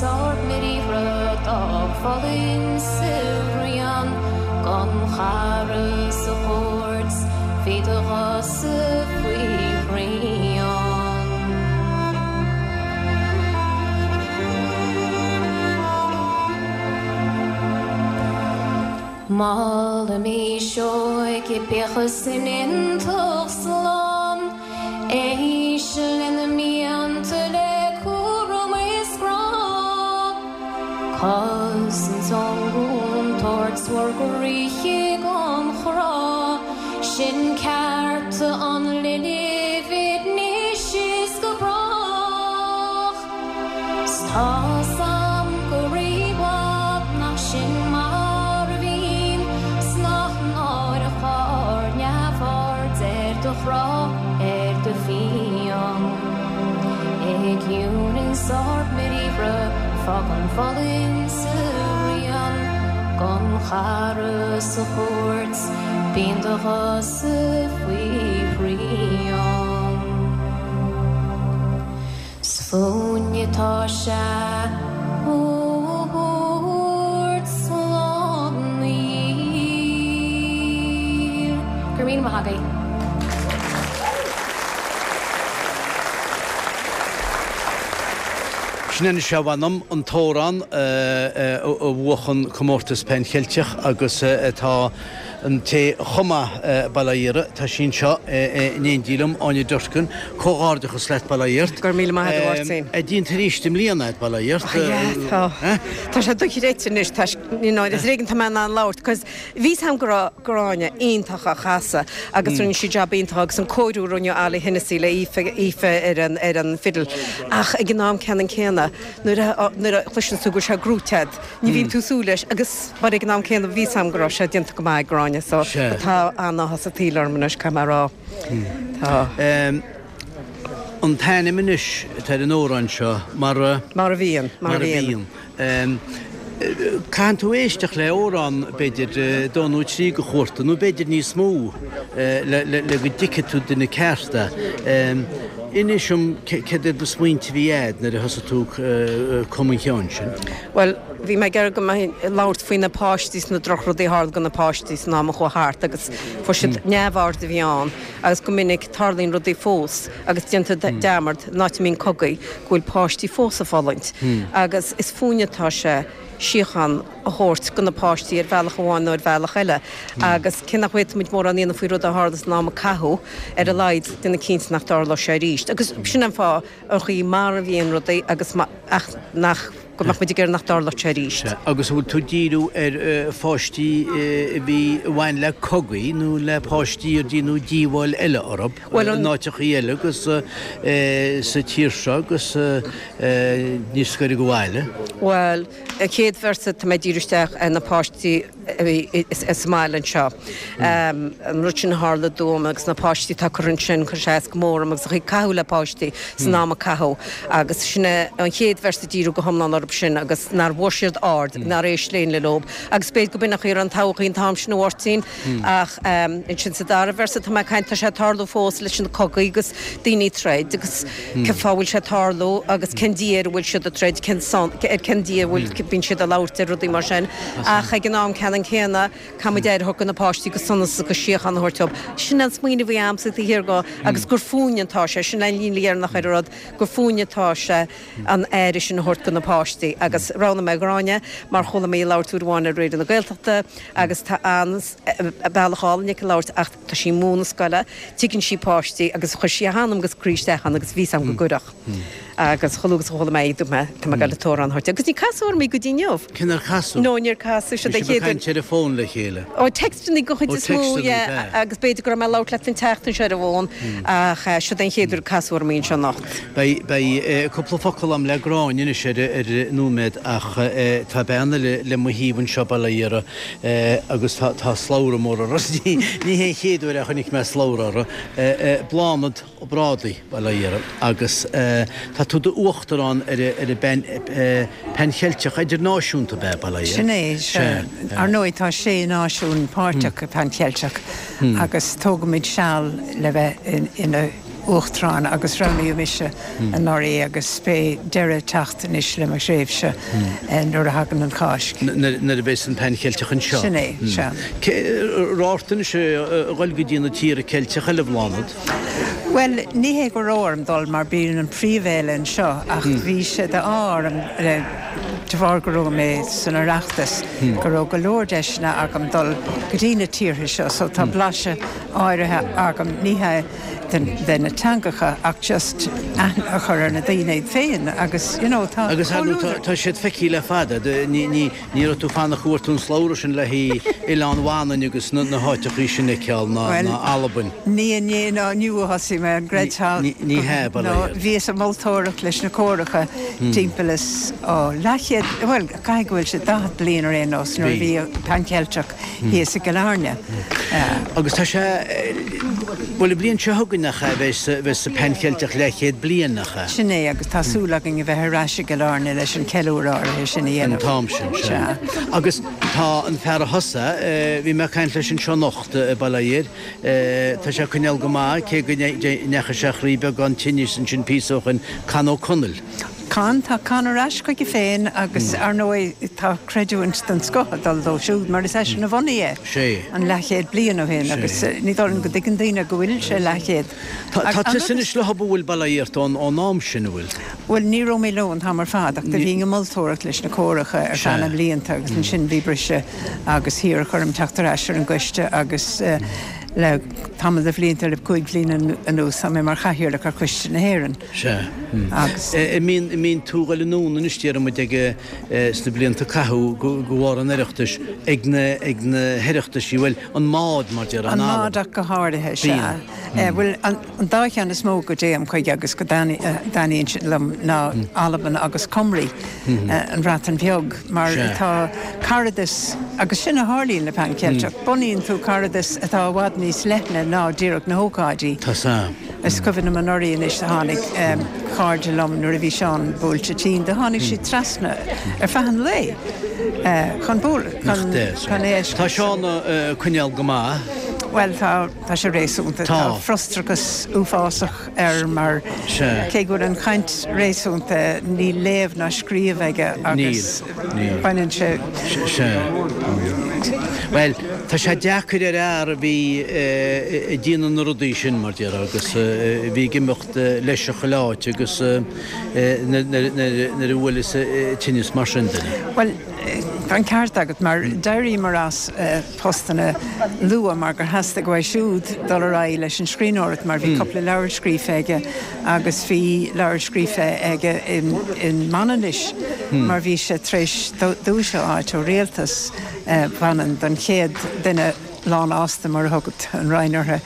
ins ár mbriathra d'fhág fulaingt 's a rian gan chara sa chúirt bhí do ghosa faoi shrian. Molaimis óige bíodh san iontacht slán. Éist lena mianta le cúram is grá. Cosaint ón gcontúirt bhur gcroíthe gan chrá. Sin cearta an linbh anois is go brách. 'S tá's a'm go rímhaith nach sin mar a bhíonn 's nach náireach ár neamhaird ar do chrá, ar do phian. I gciúnas ár mbriathra fágann fulaingt 's a rian gan chara sa chúirt bíonn do ghosa faoi shrian. 'S fúinne tá sé a thabhairt slán aniar. Go raibh míle maith agaibh. Sin anois a mh'anam, an t-amhrán a bhuach an comórtas Pan Cheilteach agus atá An té a chum é, bail ó Dhia uirthi, tá sí anseo in éindí liom, Áine Durkin. Comhghairdeachas leat, bail ó Dhia ort. Go raibh míle maith agat, a Mháirtín. É déanta arís i mbliana agat, bail ó Dhia ort. Yeah, tá. Tá sé dochreidte anois, tá, you know, is ar éigean tá mé in ann labhairt, 'cause bhí 's a'm go raibh Gráinne iontach á chasadh agus rinne sí jab iontach agus an cóiriú a rinne Ollie Hennessy le Aoife, Aoife ar an, ar an fiddle. Ach ag an am ceannann céanna, nuair a, nuair a chloiseann tú go bhfuil sé gnóite a'd, Ní bhíonn tú ag súil leis agus mar ag an am céanna bhí 's a'm go raibh sé déanta go maith ag Gráinne so tá an-áthas an tsaoil orm anois caithfidh mé a rá. Tá. An t-ainm anois atá ar an amhrán seo mar a. Mar a bhíonn. Mar a bhíonn. Caitheann tú éisteacht le amhrán b'fhéidir dó nó trí de chuarta nó b'fhéidir níos mó le go dtuigfidh tú duine ceart é. Inis dom céard iad na smaointe a bhí a'd nuair a thosaigh tú ag cumadh an cheoin sin. Bhuel, bhí mé ag iarraidh go mbeinn ag labhairt faoi na páistí is na drochrudaí a tharla do na páistí san am a chuaigh thart agus fuair siad neamhaird a bhí ann agus go minic tarlaíonn rudaí fós agus déantar dearmad in áit a mbíonn cogaí go bhfuil páistí fós ag fulaingt agus is fúinne atá sé síocháin a thabhairt do na páistí ar bhealach amháin nó ar bhealach eile agus cé nach bhféadfaimid mórán a dhéanamh faoi rud a tharla san am a caitheadh, ar a laghad déanamh cinnte nach dtarlóidh sé arís. Agus sin an fáth an chaoi mar a bhíonn rudaí agus ach nach, go mbeadh muid ag iarraidh nach dtarlódh sé arís. Sea, agus an bhfuil tú ag díriú ar pháistí a bhí, a bhain le cogaí nó le páistí ar déanadh díobháil eile orthu in áiteachaí eile agus sa tír seo agus níor scoireadh abhaile? Bhuel, an chéad véarsa tá mé ag díriú isteach ar na páistí a bhí sa mbaile anseo. An rud sin a tharla dom agus na páistí atá curtha ansin, chuir sé as go mór orm agus an chaoi a caitheadh le páistí san am a caitheadh agus sin é an chéad véarsa ag díriú go hiomlán orthu sin agus nár bhfuair siad aird, nár éist éinne leo agus b'fhéidir go b'in an chaoi a raibh an todhchaí an t-am sin a Mháirtín ach ansin sa dara véarsa tá mé ag caint, tá sé ag tarlú fós leis na cogaí agus daoine ag troid agus cén fáth a bhfuil sé ag tarlú agus cén Dia ar a bhfuil siad ag troid, cén son, ar cén Dia a bhfuil, bíonn siad ag labhairt ar rudaí mar sin. Ach ag an am ceannann céanna, caithfidh muid aire a thabhairt do na páistí agus sonas agus síocháin a thabhairt dóibh. Sin an smaoineamh a bhí a'msa taobh thiar de agus gur fúinne atá sé, sin an líne dheireanach ar an rud, gur fúinne atá sé an aire sin a thabhairt do na páistí. Agus roghnaigh mé Gráinne mar chuala mé í ag labhairt uair amháin ar Raidió na Gaeltachta agus tá an bealach álainn aici labhairt ach tá sí ag múineadh scoile, tuigeann sí páistí agus chuir sí a hanam agus a croí isteach ann agus bhí 's a'm go gcuirfeadh. Agus chomh luath agus a chuala mé í, dúirt mé, tá mé ag goil an t-amhrán a thabhairt di. Agus ní casadh orm í go dtí inniu. Cé nár casadh? No, níor casadh. Bhí sibh ag caint ar an bhfón le chéile? Ó, textannaí den chuid is mó, yeah. Agus b'fhéidir go raibh mé ag labhairt leat an tseachtain seo ar an bhfón, ach siod é an chéad uair a casadh orm í anseo anocht. Beidh, beidh cúpla focal a'm le Gráinne anois ar, ar nóiméad ach tá bean eile le mo thaobh anseo, bail ó Dhia uirthi, agus tá, tá slabhra mór uirthi. Ní hé an chéad uair a chonaic mé slabhra uirthi. Bláthnaid. Ó Brádaigh, bail ó Dhia uirthi, agus tá tú i d'uachtarán ar an bPan Cheilteach Idirnáisiúnta, ab ea, bail ó Dhia? Sin é, sea. Ar ndóigh, tá sé náisiún páirteach i Pan Cheilteach agus tógaimid seal le bheith ina. Uachtarán agus roghnaíodh mise anuraidh agus beidh deireadh ag teacht anois le mo thréimhse nuair a thagann an Cháisc. Nuair a bheas an Pan Cheilteach anseo. Sin é, sea. Raibh ort anois a dhul go dtí na tíortha Ceilteacha eile, a Bhláthnaid? Bhuel, ní hé go raibh orm dul mar bíonn an príomhfhéile anseo ach bhí sé d'ádh orm de bharr go raibh mé san Oireachtas go raibh go leor deiseanna agam dul go dtí na tíortha seo so tá blaiseadh áirithe agam, ní hé de na teangacha ach just aithne a chur ar na daoine iad féin agus you know tá Agus ar ndóigh tá siad feicthe le fada, ní ní ní raibh tú fánach go bhfuair tú an slabhra sin le haghaidh Oileán Mhanainn agus na na háiteachaí sin a fheiceáil ná ná Albain. Ní inné ná inniu a thosaigh mé, an gcreidfeá? Ní ní hea, ba No bhíos ag moltóireacht leis na córacha timpeall is ó leathchéad, bhuel caithfidh go bhfuil sé 40 bliain ar aon nós nuair a bhí Pan Cheilteach thíos i gCill Airne. Agus tá sé, bhuel an bhliain seo chugainn nach ea, bheas, bheas an Pan Cheilteach leathchéad bliain, nach ea? Sin é, agus tá súil againn a bheith ar ais i gCill Airne leis an ceiliúradh áirithe sin a dhéanamh. An t-am sin, sea. Agus tá an fear a thosaigh, bhí mé ag caint leis anseo anocht i Baile Átha Fhirdh, tá sé ag coinneáil go maith, cé go ndeachaigh sé thrí beagán tinnis ansin píosa ó shoin, Con Ó Conaill. Con, tá Con ar ais chuige féin agus ar ndóigh tá creidiúint den scoth ag dul dó siúd mar is eisean a bhunaigh é an leathchéad bliain ó shin agus ní dóigh liom go dtuigeann daoine go bhfuil sé leathchéad. Tá tusa anois leo, an bhfuil, bail ó Dhia ort, ón am sin, an bhfuil? Bhuel ní raibh mé leo an t-am ar fad ach do bhínn ag moltóireacht leis na córacha ar feadh na mblianta agus ansin bhí briseadh agus hiarradh orm teacht ar ais ar an gcoiste agus le tamall de bhlianta, le 5 bhliain anuas, tá mé mar chathaoirleach ar Choiste na hÉireann. Sea. Agus. An mbíonn, an mbíonn tú ag dul anonn anois déarfaidh muid ag, sna blianta a caitheadh go, de bharr an Oireachtais, ag na, ag na hOireachtaisí, bhuel, an MÁD mar déarfá, An MÁD ach go háirithe, sea. Bíonn. Bhuel, an, an dá cheann is mó go dtéim chuige agus go dtaitníonn siad liom ná Albain agus Cymru, an Bhreatain Bheag, mar tá caradas, agus sin a tharlaíonn le Pan Ceilteach, bunaíonn tú caradas atá i bhfad níos leithne ná díreach na hócáidí. Tá 's a'm. Is cuimhin liom anuraidh anois do tháinig cairde liom nuair a bhí Seán buailte tinn, do tháinig siad trasna ar feadh an lae chun bualadh, chun chun é a fheiscint. Tá Seán ag coinneáil go maith. Bhuel tá, tá sé réasúnta. Tá frustrachas uafásach air mar cé go bhfuil an chaint réasúnta níl léamh ná scríobh aige agus baineann sé. Sea. Bhuel, tá sé deacair ar fhear a bhí ag déanamh na rudaí sin, mar déarfá, agus a bhí ag imeacht leis chuile áit agus nuair a bhuaileas tinneas mar sin duine. Bhuel, tá an ceart agat, mar d'éiríomar as postanna luath mar gur theastaigh uaidh siúd dul ar aghaidh leis an scríbhneoireacht mar bhí cúpla leabhar scríofa aige agus bhí leabhar scríofa aige in Manainnis mar bhí sé tar éis duais a fháilt ó rialtas Mhanann don chéad duine lánfhásta, mar a thug an Roinn orthu,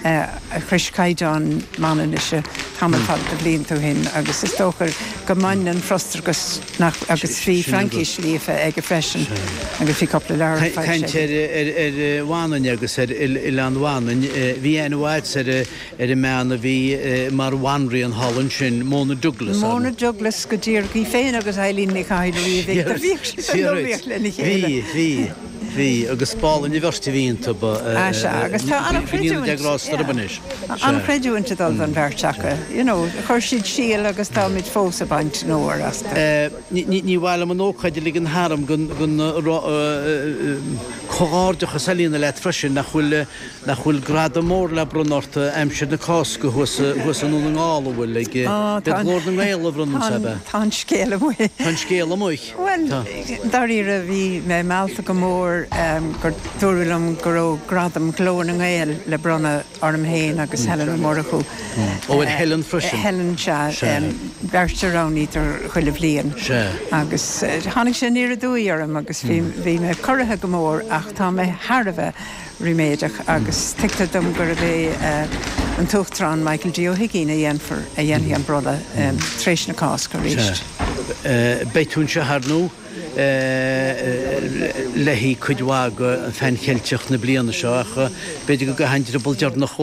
a shrois caighdeán Manainnise tamall fada de bhlianta ó shin agus is dócha go mbaineann an frustrachas nach agus bhí Fraincis líofa aige freisin agus bhí cúpla leabhar foilsithe aige. Caint ar Mhanainn agus ar Oileán Mhanainn, bhí aithne mhaith agat ar ar an mbean a bhí mar bhanríon thall ansin, Mona Douglas. Mona Douglas go díreach, í féin agus Eileen Ní Chathail riamh, do bhíodh siad san iomaíocht lena chéile. Bhí, bhí, bhí, agus b'álainn an bheirt a bhí iontu, ba, Sea, agus tá an-chreidiúint, an-chreidiúint ag dul don bheirt acu, you know, chuir siad síol agus táimid fós ag baint an fhómhair astu. Ní mhaith liom an ócáid a ligean tharam gan comhghairdeachas a dhéanamh leat freisin, nach bhfuil Nach bhfuil gradam mór le bronnadh ort aimsir na Cásca thuas thuas i nDún na nGall, an bhfuil? Ag B'iad Glór na nGael a bhronnann sé, ab ea? Tá an scéal amuigh. Tá an scéal amuigh. Bhuel, dáiríre, bhí mé meallta go mór gur dúradh liom go raibh gradam Ghlór na nGael le bronnadh orm féin agus Helen Ó Murchú. Ó, ar Helen freisin? Helen, sea. Beirt a roghnaítear chuile bhliain. Sea. Agus tháinig sé aniar aduaidh orm agus bhí mé corraithe go mór ach tá mé thar a bheith ríméadach agus tuigtear dom gurb é an tUachtarán Michael D. Ó hUigínn a dhéanfar, a dhéanfaidh an bronnadh tar éis na Cásca arís. Sea. Beidh tú anseo, ar ndóigh. Léi cuid mhaith de Pheann Cheilteach na bliana seo ach b'fhéidir go gcaithfeá an drioball deireanach a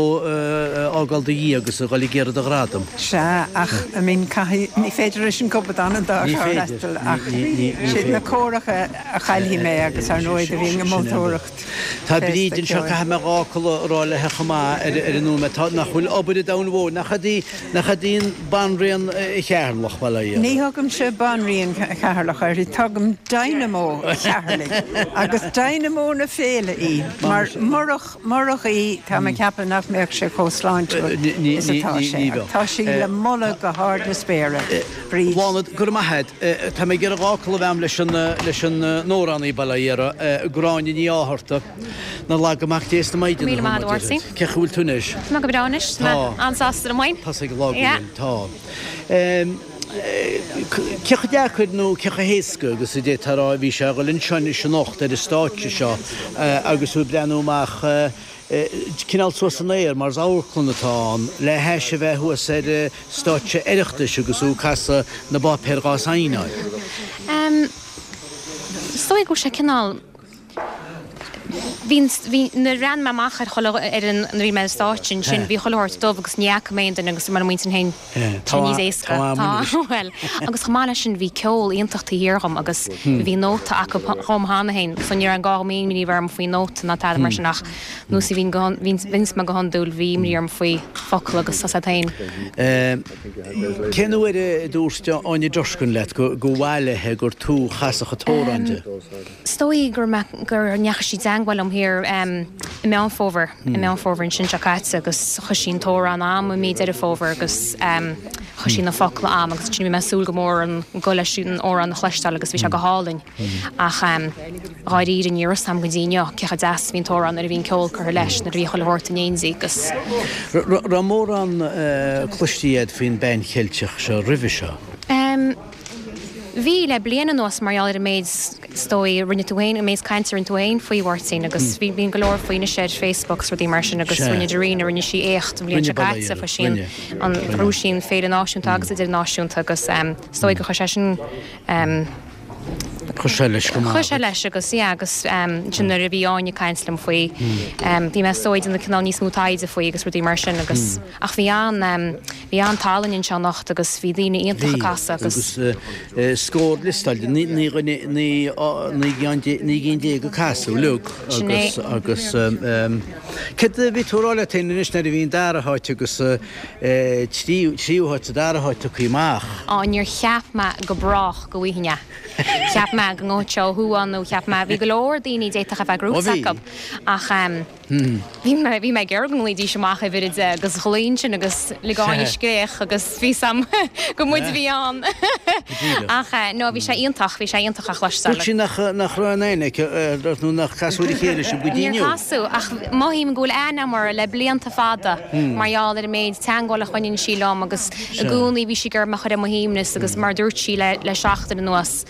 fhágáil do Dhia agus a dhul ag iarraidh do ghradam. Sea, ach I mean caithfidh, ní féidir leis an gcupadán an dá Ní féidir, freastal ach ní siad na féidir. córacha a chaillfidh mé agus ar ndóigh do bhínn ag moltóireacht Tá féasta Bríd anseo, ceoil. caithfidh mé dhá fhocal a rá léi chomh maith ar an nóiméad. Tá, nach bhfuil obair an domhain mhóir, nach ea Nach ea í Banríon Cheatharlach, bail ó Dhia Ní uirthi. thugaimse Banríon Cheatharlach uirthi, tugaim Dynamo Cheatharlaigh agus Dynamo na féile í, mar murach, murach í, tá mé ag ceapadh nach mbeadh sé chomh sláintiúil is atá sé. Ach tá sí le moladh go hard na spéire, Bríd. Bláthnaid, go raibh maith agat. Tá mé ag iarraidh dhá fhocal a bheith agam leis an, leis an n-amhránaí, bail ó Dhia uirthi, Gráinne Ní Fhátharta. 'Na laga mac Dé is na Maighdine Míle maith thú, agat, mar a Mháirtín. deir. Cén chaoi a bhfuil tú anois? Tá mé go breá anois. Tá mé an-sásta liom féin. Tá ag an lá go Yeah. bhfuil. Tá. Cé chomh deacair nó cé chomh héasca agus a d'fhéadfá a rá a bhí sé a dhul anseo anois anocht ar an stáitse seo agus tú ag breathnú amach cineál suas san aer mar is amharclann atá ann le hais a bheith thuas ar stáitse Oireachtais agus tú ag casadh na bpáipéar dhá saighneáil? Is dóigh go bhfuil sé cineál. Bhí, bhí, nuair a bhreathnaigh mé amach ar chuile, ar an, nuair a bhí mé ar an stáitse ansin, bhí chuile shórt dubh agus ní fhaca mé aon duine agus mar a muintir féin, tá níos éasca. Tá, bhuel, agus chomh maith leis sin bhí ceol iontach taobh thiar dhom agus bhí nóta acu dhom cheana féin so ní raibh aon gá dhom imní a bheith orm faoi nóta ná tada mar sin ach nós a bhíonn go, bhíonns mé go hiondúil, bhí imní orm faoi focal agus tá 's agat féin. Cén uair a dúirt Áine Durkin leat go, gur mhaith léi gur tú a chasfadh an t-amhrán di? Is dóigh go raibh mé, go ndeachaigh sí i dteangmháil liom thiar i Meán Fómhair, i Meán Fómhair ansin seo caite agus chuir sí an t-amhrán a'm i mí Deireadh Fómhair agus chuir sí na focla a'm agus ansin bhí mé ag súil go mór an gol leis an amhrán a chloisteáil agus bhí sé go hálainn ach dháiríre ní raibh 'fhios a'm go dtí inniu cé chomh deas a bhí an t-amhrán nuair a bhí an ceol curtha leis, nuair a bhí chuile shórt in éindí agus. Raibh mórán cloiste agat faoin bPeann Cheilteach seo roimhe seo? Bhí, le bliain anuas, mar gheall ar an méid, is dóigh, a rinne tú féin, an méid cainte a rinne tú féin faoi, Mháirtín, agus bhí, bíonn go leor faoi anois ar Facebook agus rudaí mar sin agus rinne Darina, rinne sí éacht an bhliain seo caite, fuair sí an, an, ghnóthaigh sí an féile náisiúnta agus idirnáisiúnta agus is dóigh gur chuir sé sin, Chuir sé leis go maith. Chuir sé leis agus, yeah, agus ansin nuair a bhí Áine ag caint liom faoi, bhí mé is dóigh ag déanamh cineál níos mó taighde faoi agus rudaí mar sin agus, ach bhí an, Bhí an-tallann anseo anocht agus bhí daoine iontacha ag casadh agus. Bhí, agus scór liostáilte, 19 gcinn ag casadh uilig agus, agus céard a bhí tú a rá leat féin anois nuair a bhí an dara háit agus tríú háit sa dara háit tugtha amach? Á, níor cheap mé go brách go bhfaighinn é. Cheap mé go ngabhfadh sé ó thuaidh nó cheap mé, bhí go leor daoine a d'fhéadfadh a bheith gnóite acu ach. Bhí mé, bhí mé ag iarraidh go nglaoidís amach uimhir 10 agus ghlaoigh ansin agus lig Áine scréach agus bhí 's a'm gur muid a bhí ann. Ach no, bhí sé iontach, bhí sé iontach a chloisteáil. Dúirt sí nach, nach raibh aon aithne aici ort nó nach casadh ar a chéile sibh go dtí Níor inniu. casadh, ach mothaím go bhfuil aithne a'm uirthi le blianta fada mar gheall ar an méid teangmháil a choinníonn sí liom agus i gcónaí bhí sí ag iarraidh mé a chur ar mo shuaimhneas agus mar a dúirt sí le, le seachtain anuas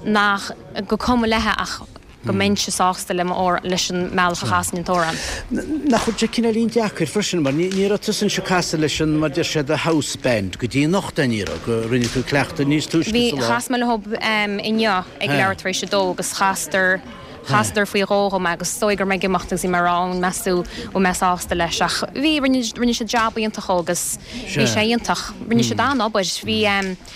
nach, gur cuma léi ach go mbeinnse sásta le mo, leis an mbealach a chasainn an t-amhrán. Nach bhfuil sé cineáilín deacair freisin mar ní raibh tusa anseo ag casadh leis an, mar deir siad, the house band go dtí anocht é ní raibh, go rinne tú cleachtadh níos túisce Bhí, sa lá. chas mé leo inniu ag leathuair tar éis a dó agus chasadar, chasadar faoi dhó dhom agus is dóigh go raibh mé ag imeacht agus bhí mé ag rá an meas tú bhfuil mé sásta leis ach bhí, rinne, rinne siad jab iontach dhó agus bhí sé iontach. Rinne siad an-obair, bhí,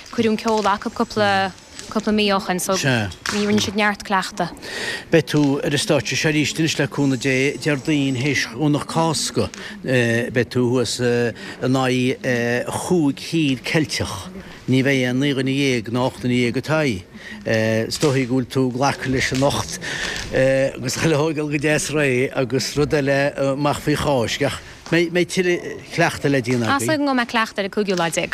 cuireadh an ceol acu cúpla, cúpla mí ó shin so bhí, rinne siad neart cleachta. Beidh tú ar an stáitse seo arís anois le cúnamh Dé Déardaoin théis Dhomhnach Cásca. Beidh tú thuas in aghaidh chúig thír Ceilteach. Ní bheidh aon 19 dhuine ná 18 duine ag t'aghaidh. Is dóichí go bhfuil tú ag glacadh leis anocht agus chuile shórt ag dul go deas réidh agus rud eile amach faoi Cháisc ach Mbeidh tuilleadh cleachtaidh le déanamh agaibh. Is dóigh go mbeidh cleachtadh ar an cúigiú lá déag.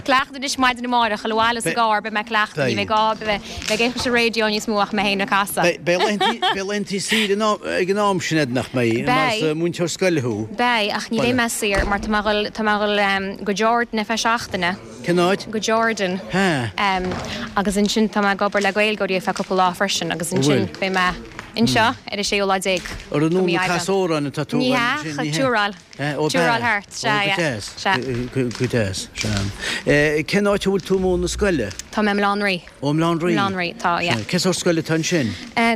Cleachtadh anois maidin amárach, a dhul abhaile sa gcarr, beidh mé ag cleachtadh, ní bheidh gá, beidh mé ag éisteacht leis an raidió níos mó ach mé féin ag casadh. Beidh laethanta saoire ag an am sin, nach mbeidh? Mar is múinteoir scoile thú. Beidh, ach ní bheidh mé saor mar tá mé ag dul go Jordan ar feadh seachtaine. Cén áit? Go Jordan. Agus ansin tá mé ag obair le Gaeilgeoirí ar feadh cúpla lá freisin agus ansin beidh mé. Anseo ar an séú lá déag Ar an de mí ag Aibreán. casadh amhráin atá tú Ní a hea, ansin, ní hea? tour-áil. Ó, Tour-áil b'ea? thart, Ó, sea, go yeah, deas. sea. Go deas, sea. Cén áit a bhfuil tú ag múineadh na scoile? Tá mé i mBaile Átha an Rí. Ó, i mBaile Átha an Rí. mBaile Átha an Rí, tá, yeah. Sea. Cén sórt scoile atá ansin?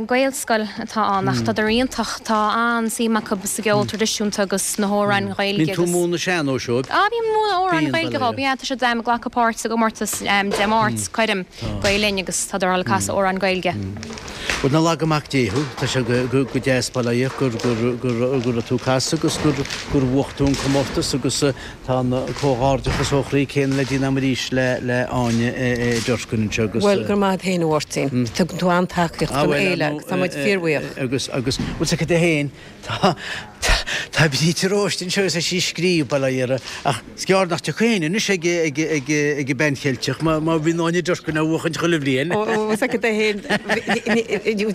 Gaelscoil atá ann ach tádar iontach, tá an-suim acu sa gceol traidisiúnta agus sna hamhráin Ghaeilge Bíonn tú agus. ag múineadh sean-nóis dóibh? Á, bím ag múineadh amhráin Bíonn, Ghaeilge bail dhóibh, yeah, tá siad ag glacadh páirt sa gcomórtas Dé Máirt, Coirm Gael Linn agus tádar ag dul ag casadh amhráin Gaeilge. Bhuel, nach laga mac Dé thú, tá sé go deas bail ó Dhia ort gur go raibh tú ag casadh agus gur gur bhuaigh tú an comórtas agus tá an comhghairdeachas ó chroí céanna le déanamh arís le le Áine Durkin anseo agus. Bhuel, go raibh maith agat féin a Mháirtín. Tugann tú an-tacaíocht don fhéile agus tá muid fíorbhuíoch. Agus agus bhfuil 's agat féin Tá, tá Bríd de Róiste anseo agus tá sí ag scríobh, bail ó Dhia uirthi, ach is gearr nach dtiocfaidh éinne anois ag, ag, ag, ag an Bean Cheilteach má, má bhíonn Áine Durkin á bhuachaint chuile bhliain. Ó, bhfuil 's agat féin,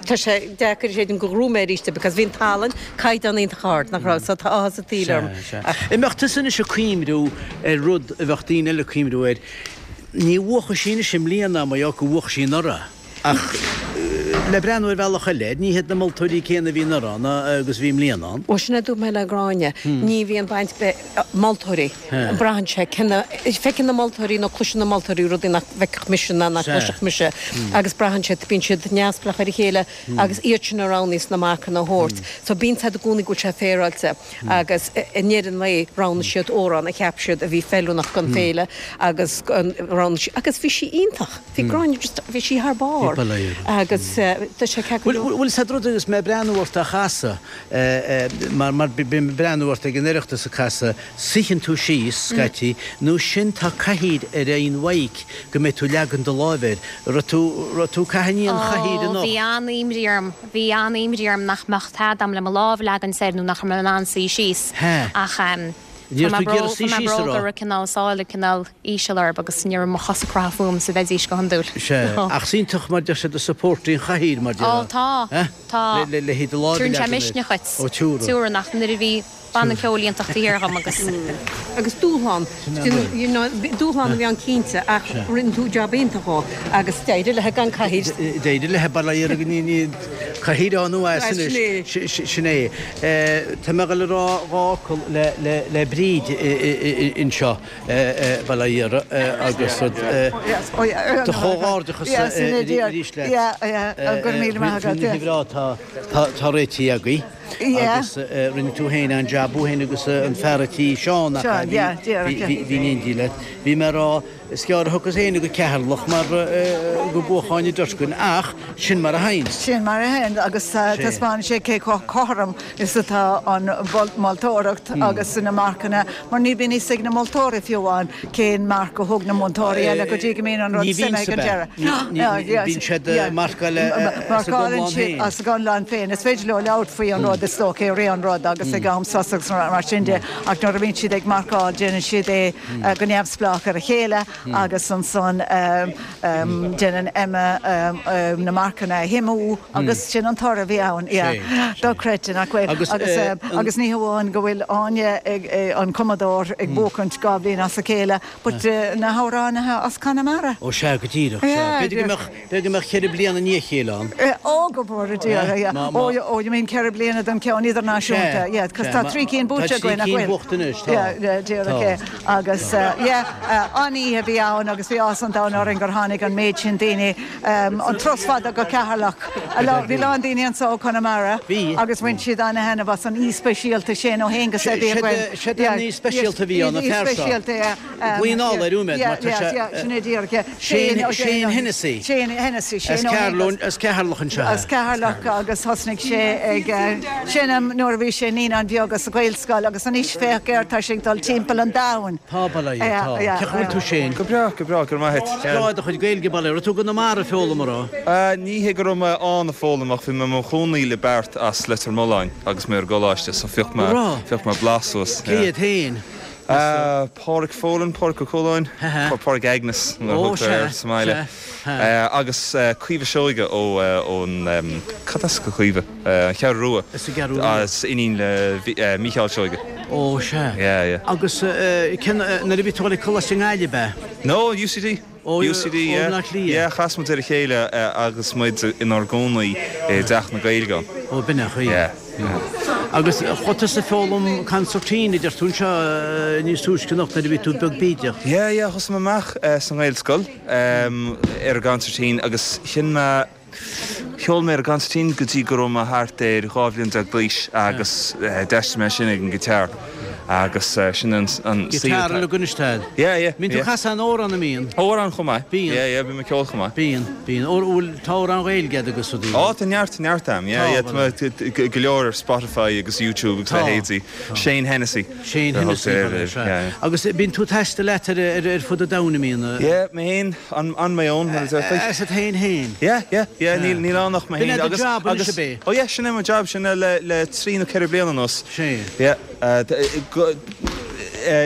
tá sé deacair a chreidiúint gur ghnóthaigh mé arís é because bhí an tallann caighdeán iontach ard, nach raibh, so tá áthas an tsaoil orm. Sea, sea. An mbeadh tusa anois ag cuimhniú ar rud a bheadh daoine eile ag cuimhniú air, ní bhuachfaidh sí anois i mbliana mar gheall gur bhuaigh sí anuraidh. Ach le breathnú ar bhealach eile, ní hiad na moltóirí céanna a bhí anuraidh ann agus a bhí i mbliana ann. Bhuel, sin é a dúirt mé le Gráinne, ní bhíonn baint ag moltóirí, braitheann sé, cé na, feiceann na moltóirí nó cloiseann na moltóirí rudaí nach bhfeicfeadh mise ná nach gcloisfeadh mise agus braitheann sé, bíonn siad neamhspleách ar a chéile agus iad sin a roghnaíos na marcanna a thabhairt. So bíonn siad i gcónaí go bhfuil sé féaráilte. Agus i ndeireadh an lae roghnaigh siad amhrán a cheap siad a bhí feiliúnach don féile agus roghnaigh siad, agus bhí sí iontach, bhí Gráinne just, bhí sí thar barr agus tá sé ceart go leor. Bhuel, 'sé an rud agus mé ag breathnú ort á chasadh, mar, mar bím ag breathnú ort ag an Oireachtas ag casadh, suíonn tú síos scaití, nó sin tá cathaoir ar aon mhic go mbeidh tú ag leagan do láimh air. Raibh tú, raibh tú ag caitheamh an chathaoir Ó, anocht? bhí an-imní orm. Bhí an-imní orm nach mbeadh tada agam le mo lámh a leagaint air nó nach raibh mé in ann suí síos. Ach tá mé bródúil go raibh cineál sáile cineál íseal orthu agus ní raibh mo chosa ag croitheadh fúm is a bheidís go hiondúil. Sea, ach is iontach mar deir siad a support í an chathaoir mar Ó tá, tá. Le haghaidh do lámh a Tugann sé leagan air. misneach dhuit. Ó tiúra. Tiúrann ach nuair a bhí Banna ceoil iontach taobh thiar dhom agus. Agus dúshlán, you know, dúshlán a bhí ann cinnte ach rinne tú jab iontach dhó agus d'éirigh léi gan cathaoir. D'éirigh léi, bail ó Dhia uirthi ní, ní, cathaoir ann nó as anois, sin é. Tá mé ag dul a rá dhá fhocal le, le, le Bríd anseo, bail ó Dhia uirthi agus do chomhghairdeachas arís leat. Faoin oíche bhreá atá réitithe agaibh. Agus rinne tú féin an jab, thú féin agus an fear a' tí, Seán, nach ea? Bhí, bhí in éindí leat. Bhí mé a rá, is gearr a thiocfas éinne go Ceatharlach mar go mbuafadh Áine Durkin, ach sin mar a théanns. Sin mar a théanns agus taispeánann sé cé chomh cothrom is atá an mholtóireacht agus na marcanna mar ní bhíonn fhios ag na moltóirí fiú amháin cén marc a thug na múinteoirí eile go dtí go mbíonn an rud suimithe ag an deireadh. Bíonn siad ag marcáil as a gconlán féin. As a gconlán féin. Is féidir leo labhairt faoi an rud is dócha i rith an rud agus ag am sosa agus mar sin de ach nuair a bhíonn siad ag marcáil déanann siad é go neamhspleách ar a chéile agus ansan déanann Emma na marcanna a shuimiú agus sin an toradh a bhí ann. Yeah. Dochreidte, nach bhfuil? Agus agus ní hamháin go bhfuil Áine an cumadóir ag buachaint dhá bhliain as a chéile but na hamhránaithe as Conamara. Ó sea, go díreach, sea. B'fhéidir go mbeadh, b'fhéidir go mbeadh cheithre bliana i ndiaidh a chéile ann. Ó, go bhfóire Dia, yeah. Ó, ó, you mean ceithre bliana don ceann idirnáisiúnta, yeah, cos tá trí cinn buaite againn, nach bhfuil? Tá trí cinn buaite anois, tá. Yeah, yeah, díreach é. Agus, yeah, an-oíche a bhí ann agus bhí áthas an domhain orainn gur tháinig an méid sin daoine, an turas fada go Ceatharlach. Bhí a lán daoine anso ó Chonamara agus bhain siad ana-thaitneamh as an aoi speisialta, Shane Ó hAonghusa a bhí againn. Siad an aoi speisialta a bhí ann, an fear seo. Glaoigh anall air uaim mar tá sé. Sin é díreach, yeah. Shane, Shane Hennessy. Shane Hennessy, Shane Ó hAonghusa. As Ceatharlach anseo. As Ceatharlach agus thosnaigh sé ag seinm nuair a bhí sé i naíonáin bheaga sa Ghaelscoil agus anois féach air, tá sé ag dul timpeall an domhain. Tá, bail ó Dhia, tá. Cén chaoi a bhfuil tú Shane? Go breá, go breá, go raibh maith a't. Is breá do chuid Gaeilge, bail ó Dhia. Raibh tú i gConamara ag foghlaim, an raibh? Ní hé go raibh mé ann ag foghlaim ach bhí mé i mo chónaí le beirt as Leitir Mealláin agus mé ar an gcoláiste so phioc mé, phioc mé blas suas. Cé hiad féin? Pádraic Folan, Pádraic Ó Cualáin, Pádraic Agnes mar a thugtar air sa mbaile, agus Caoimhe Seoige ó ón, cad as do Chaoimhe? An Cheathrú Rua. As an gCeathrú Rua. Is iníon le Mícheál Seoige. Ó, sea. Yeah, yeah. Agus cén, nuair a bhí tú ag dul ag coláiste i nGaillimh, ab ea? No, UCD. Ó, UCD, ó yeah. Bhleá Cliath. Yeah, chas muid ar a chéile agus muid inár gcónaí i dTeach na Gaeilge. Ó, b'in é an chaoi. Yeah, yeah. Agus chuaigh tusa ag foghlaim concertina, a deir tú anseo níos túisce anocht nuair a bhí tú beag bídeach. Yeah, yeah, thosaigh mé amach sa nGaelscoil ar an gconsairtín agus sheinn mé, Cheol mé ar an gconsairtín go dtí go raibh mé thart ar 12 bhliain d'aois agus d'aistrigh mé sin ag an guitar agus sin an saol Guitar atá. uilig anois tá. Yeah, yeah, Mbíonn tú yeah. ag casadh an amhrán an mbíonn? Amhrán chomh maith. Bíonn. Yeah, yeah, bím ag ceol chomh maith. Bíonn, bíonn. Ó, bhfuil, tá amhrán Ghaeilge agat agus rudaí? Ó, tá neart, neart a'm. Yeah, Tá, yeah, tá mé go leor ar Spotify agus YouTube agus Tá, leithéidí. tá. Shane Hennessy. Shane Hennessy, sea. Yeah, yeah. Agus bíonn tú ag taisteal leat ar, ar, ar fud an domhain, an mbíonn? Yeah, mé féin. On my own, mar a deirtear. Asat féin féin. Yeah, yeah, yeah, níl, níl ann ach mé B'in féin. é do Agus, job anois agus, ab é? oh yeah, sin é mo job, sin é le, le trí nó ceithre bliana anuas. Sea. Yeah, go,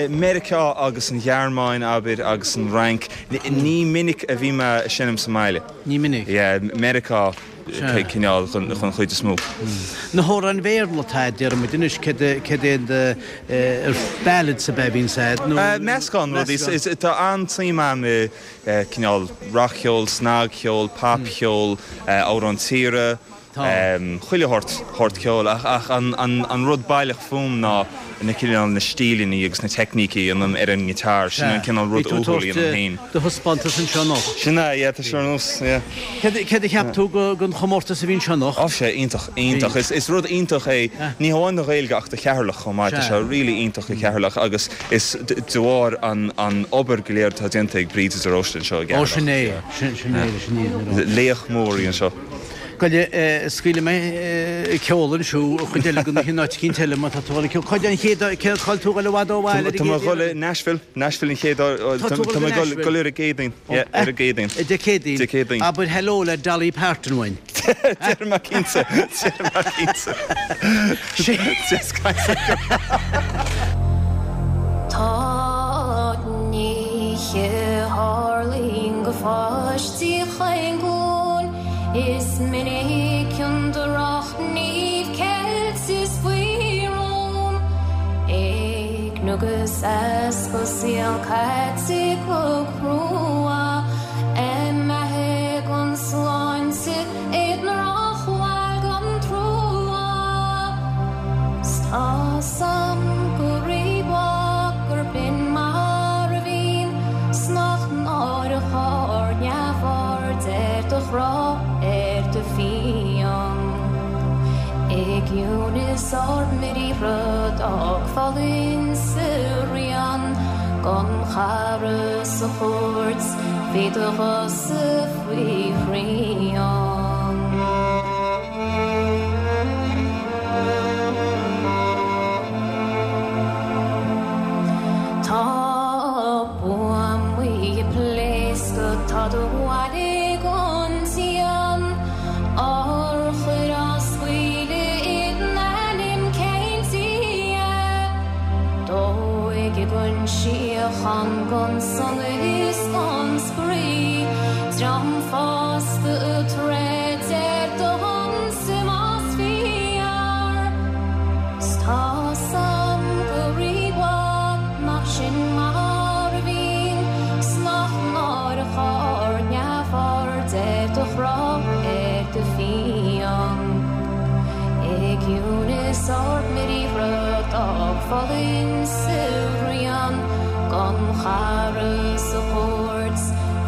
Meiriceá agus an Ghearmáin, abair, agus an Fhrainc, ní minic a bhí mé ag seinm sa mbaile. Ní minic. Yeah, Meiriceá. Sea. cineál chun an chuid is mó. Na hamhráin Bhéarla atá agat, déarfaidh muid anois, céard é, céard é an ballads ab ea a bhíonns agat nó. Meascán rudaí. Tá an-tsuim agam i cineál rac-cheol, snagcheol, popcheol, amhráin tíre, chuile shórt, shórt ceoil ach an rud baileach fúm ná na cineál na stíleanna agus na teicnící a dhéanaim ar an ngiotár, sin an cineál rud uathúil a dhéanaim féin. Do thaispeántas anseo anocht. Sin é, yeah, tá sé ar nós, yeah. Céard a cheap tú den chomórtas a bhí anseo anocht? Ó, sé iontach, iontach. Is rud iontach é, ní hamháin do Ghaeilge ach do Cheatharlach chomh maith. Tá sé really iontach do Cheatharlach agus is de bharr an obair go léir atá déanta ag Bríd de Róiste anseo i gCeatharlach. Ó, sin é, sin é leis an fhírinne a rá. Laoch mór í anseo. Gabh i leith, scaoilfidh mé ceol anseo, an chuid eile den oíche in áit eicínt eile má tá tú ag dul ag ceol. Cá an chéad, cé, cá bhfuil tú ag dul i bhfad ó bhaile ar an Tá mé gcéad ag dul i Nashville, Nashville an chéad, Tá tú ag tá dul mé go ag dul Nashville? ar an gCéadaoin, yeah, ar an gCéadaoin. Dé Céadaoin? Dé Céadaoin. Abair hello le Dolly Parton uainn. Déarfaidh mé cinnte, déarfaidh mé cinnte. Just Tá nithe a tharlaíonn do pháistí chaon ghlúin, Is minic an drochghníomh ceilte is faoi rún, Éigniú agus easpa saol caite go crua, Imithe gan sláinte i ndrochbhail gan trua. 'S tá's a'm go rímhaith gurb in mar a bhíonn 's nach náireach ár neamhaird ar do ghrá, ar do phian. I gciúnas ár mbriathra d'fhág foluain sa rian gan chara sa chúirt bhí do ghosa faoi shrian. Tá buamaí ag pléascadh, tá do bhaile gan díon, urchair á scaoileadh i n-ainm cén Dia? Dóigh gan síocháin gan sonas is gan spraoi, dream fásta ag troid ar do shonsa más fíor. 'S tá's a'm go rímhaith nach sin mar a bhíonn 's nach náireach ár neamhaird ar do ghrá, ar do phian. I gciúnas ár mbriathra d'fhág foluain sa rian gan chara sa chúirt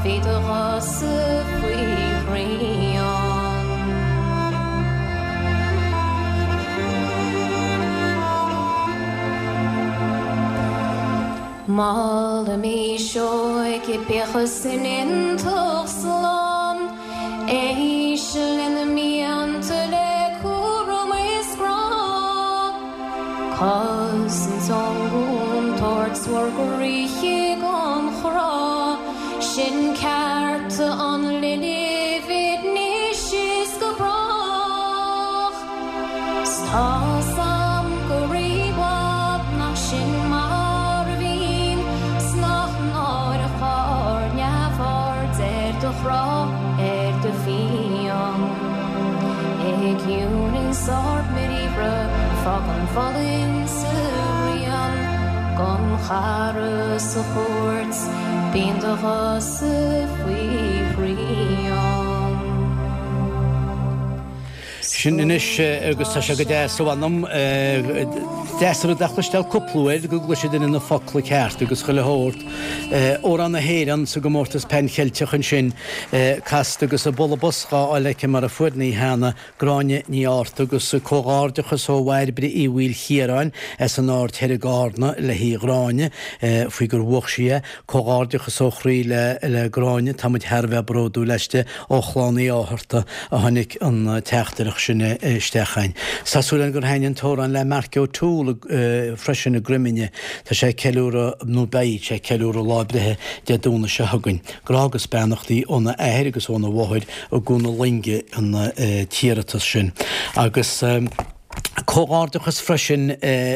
bhí do ghosa faoi shrian. Molaimís óige bíodh san iontach slán, Éist lena mianta le cúram is grá, Cosaint ón gcontúirt bhur gcroíthe gan chrá, Sin cearta an linbh anois is go brách. 'S tá's a'm go rímhaith nach sin mar a bhíonn 's nach náireach ár neamhaird ar do ghrá, ar do phian. I gciúnas ár mbriathra fágann foluain sa rian gan chara sa chúirt. Bíonn do ghuthsa faoi shrian. Sin anois agus tá sé go deas ó mh'anam. Deas an rud é a chloisteáil cúpla uair go gcloisfidh duine na focla ceart agus chuile shórt. Amhrán na hÉireann sa gcomórtas Pan Cheilteach ansin casta agus an bualadh bos dhá fháil aici mar a fuair an oíche cheana Gráinne Ní Fhátharta agus comhghairdeachas ó Bhairbre Uí Mhaoilchiaráin as an Aird Thoir i gCarna léi Gráinne faoi gur bhuach sí é. Comhghairdeachas ó chroí le le Gráinne, tá muid thar a bheith bródúil aisti. Ó chlann Uí Fhátharta a tháinig an teachtaireacht sin isteach chugainn. Tá súil againn gur thaitin an t-amhrán le Mark O'Toole freisin i gCroiminne. Tá sé ag ceiliúradh, nó beidh sé ag ceiliúradh lá breithe Dé Domhnaigh seo chugainn. Grá agus beannachtaí óna athair agus óna mháthair i gCuan na Loinge an t-iarratas sin. Agus comhghairdeachas freisin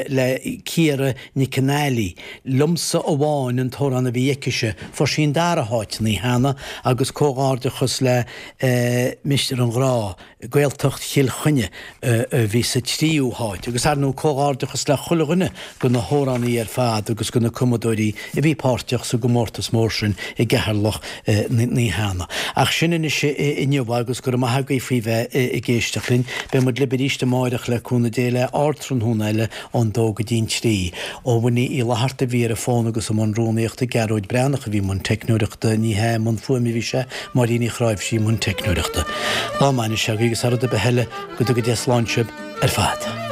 le Ciara Nic an Ailí. Liomsa Amháin an t-amhrán a bhí aicise. Fuair sí an dara háit an oíche cheana agus comhghairdeachas le Mistéir an Ghrá. Gaeltacht Chill Chainnigh a bhí sa tríú háit agus ar ndóigh comhghairdeachas le chuile dhuine de na hamhránaithe ar fad agus de na cumadóirí a bhí páirteach sa gcomórtas mór sin i gCeatharlach an oíche cheana. Ach sin anois inniu agus go raibh maith agaibh faoi bheith ag éisteacht linn. Beidh muid libh arís amáireach le cúnamh Dé le Ardtráthnóna eile ón dó go dtí'n trí. Ó Winnie Uí Fhlatharta a bhí ar an bhfón agus i mbun rúnaíochta, Gearóid Breathnach a bhí i mbun teicneoireachta, ní hea, i mbun fuaime a bhí sé, Máirín Uí Chráimhsí i mbun teicneoireachta. Lá maith anois agaibh agus thar rud ar bith eile, go dtuga Dia slán sibh ar fad.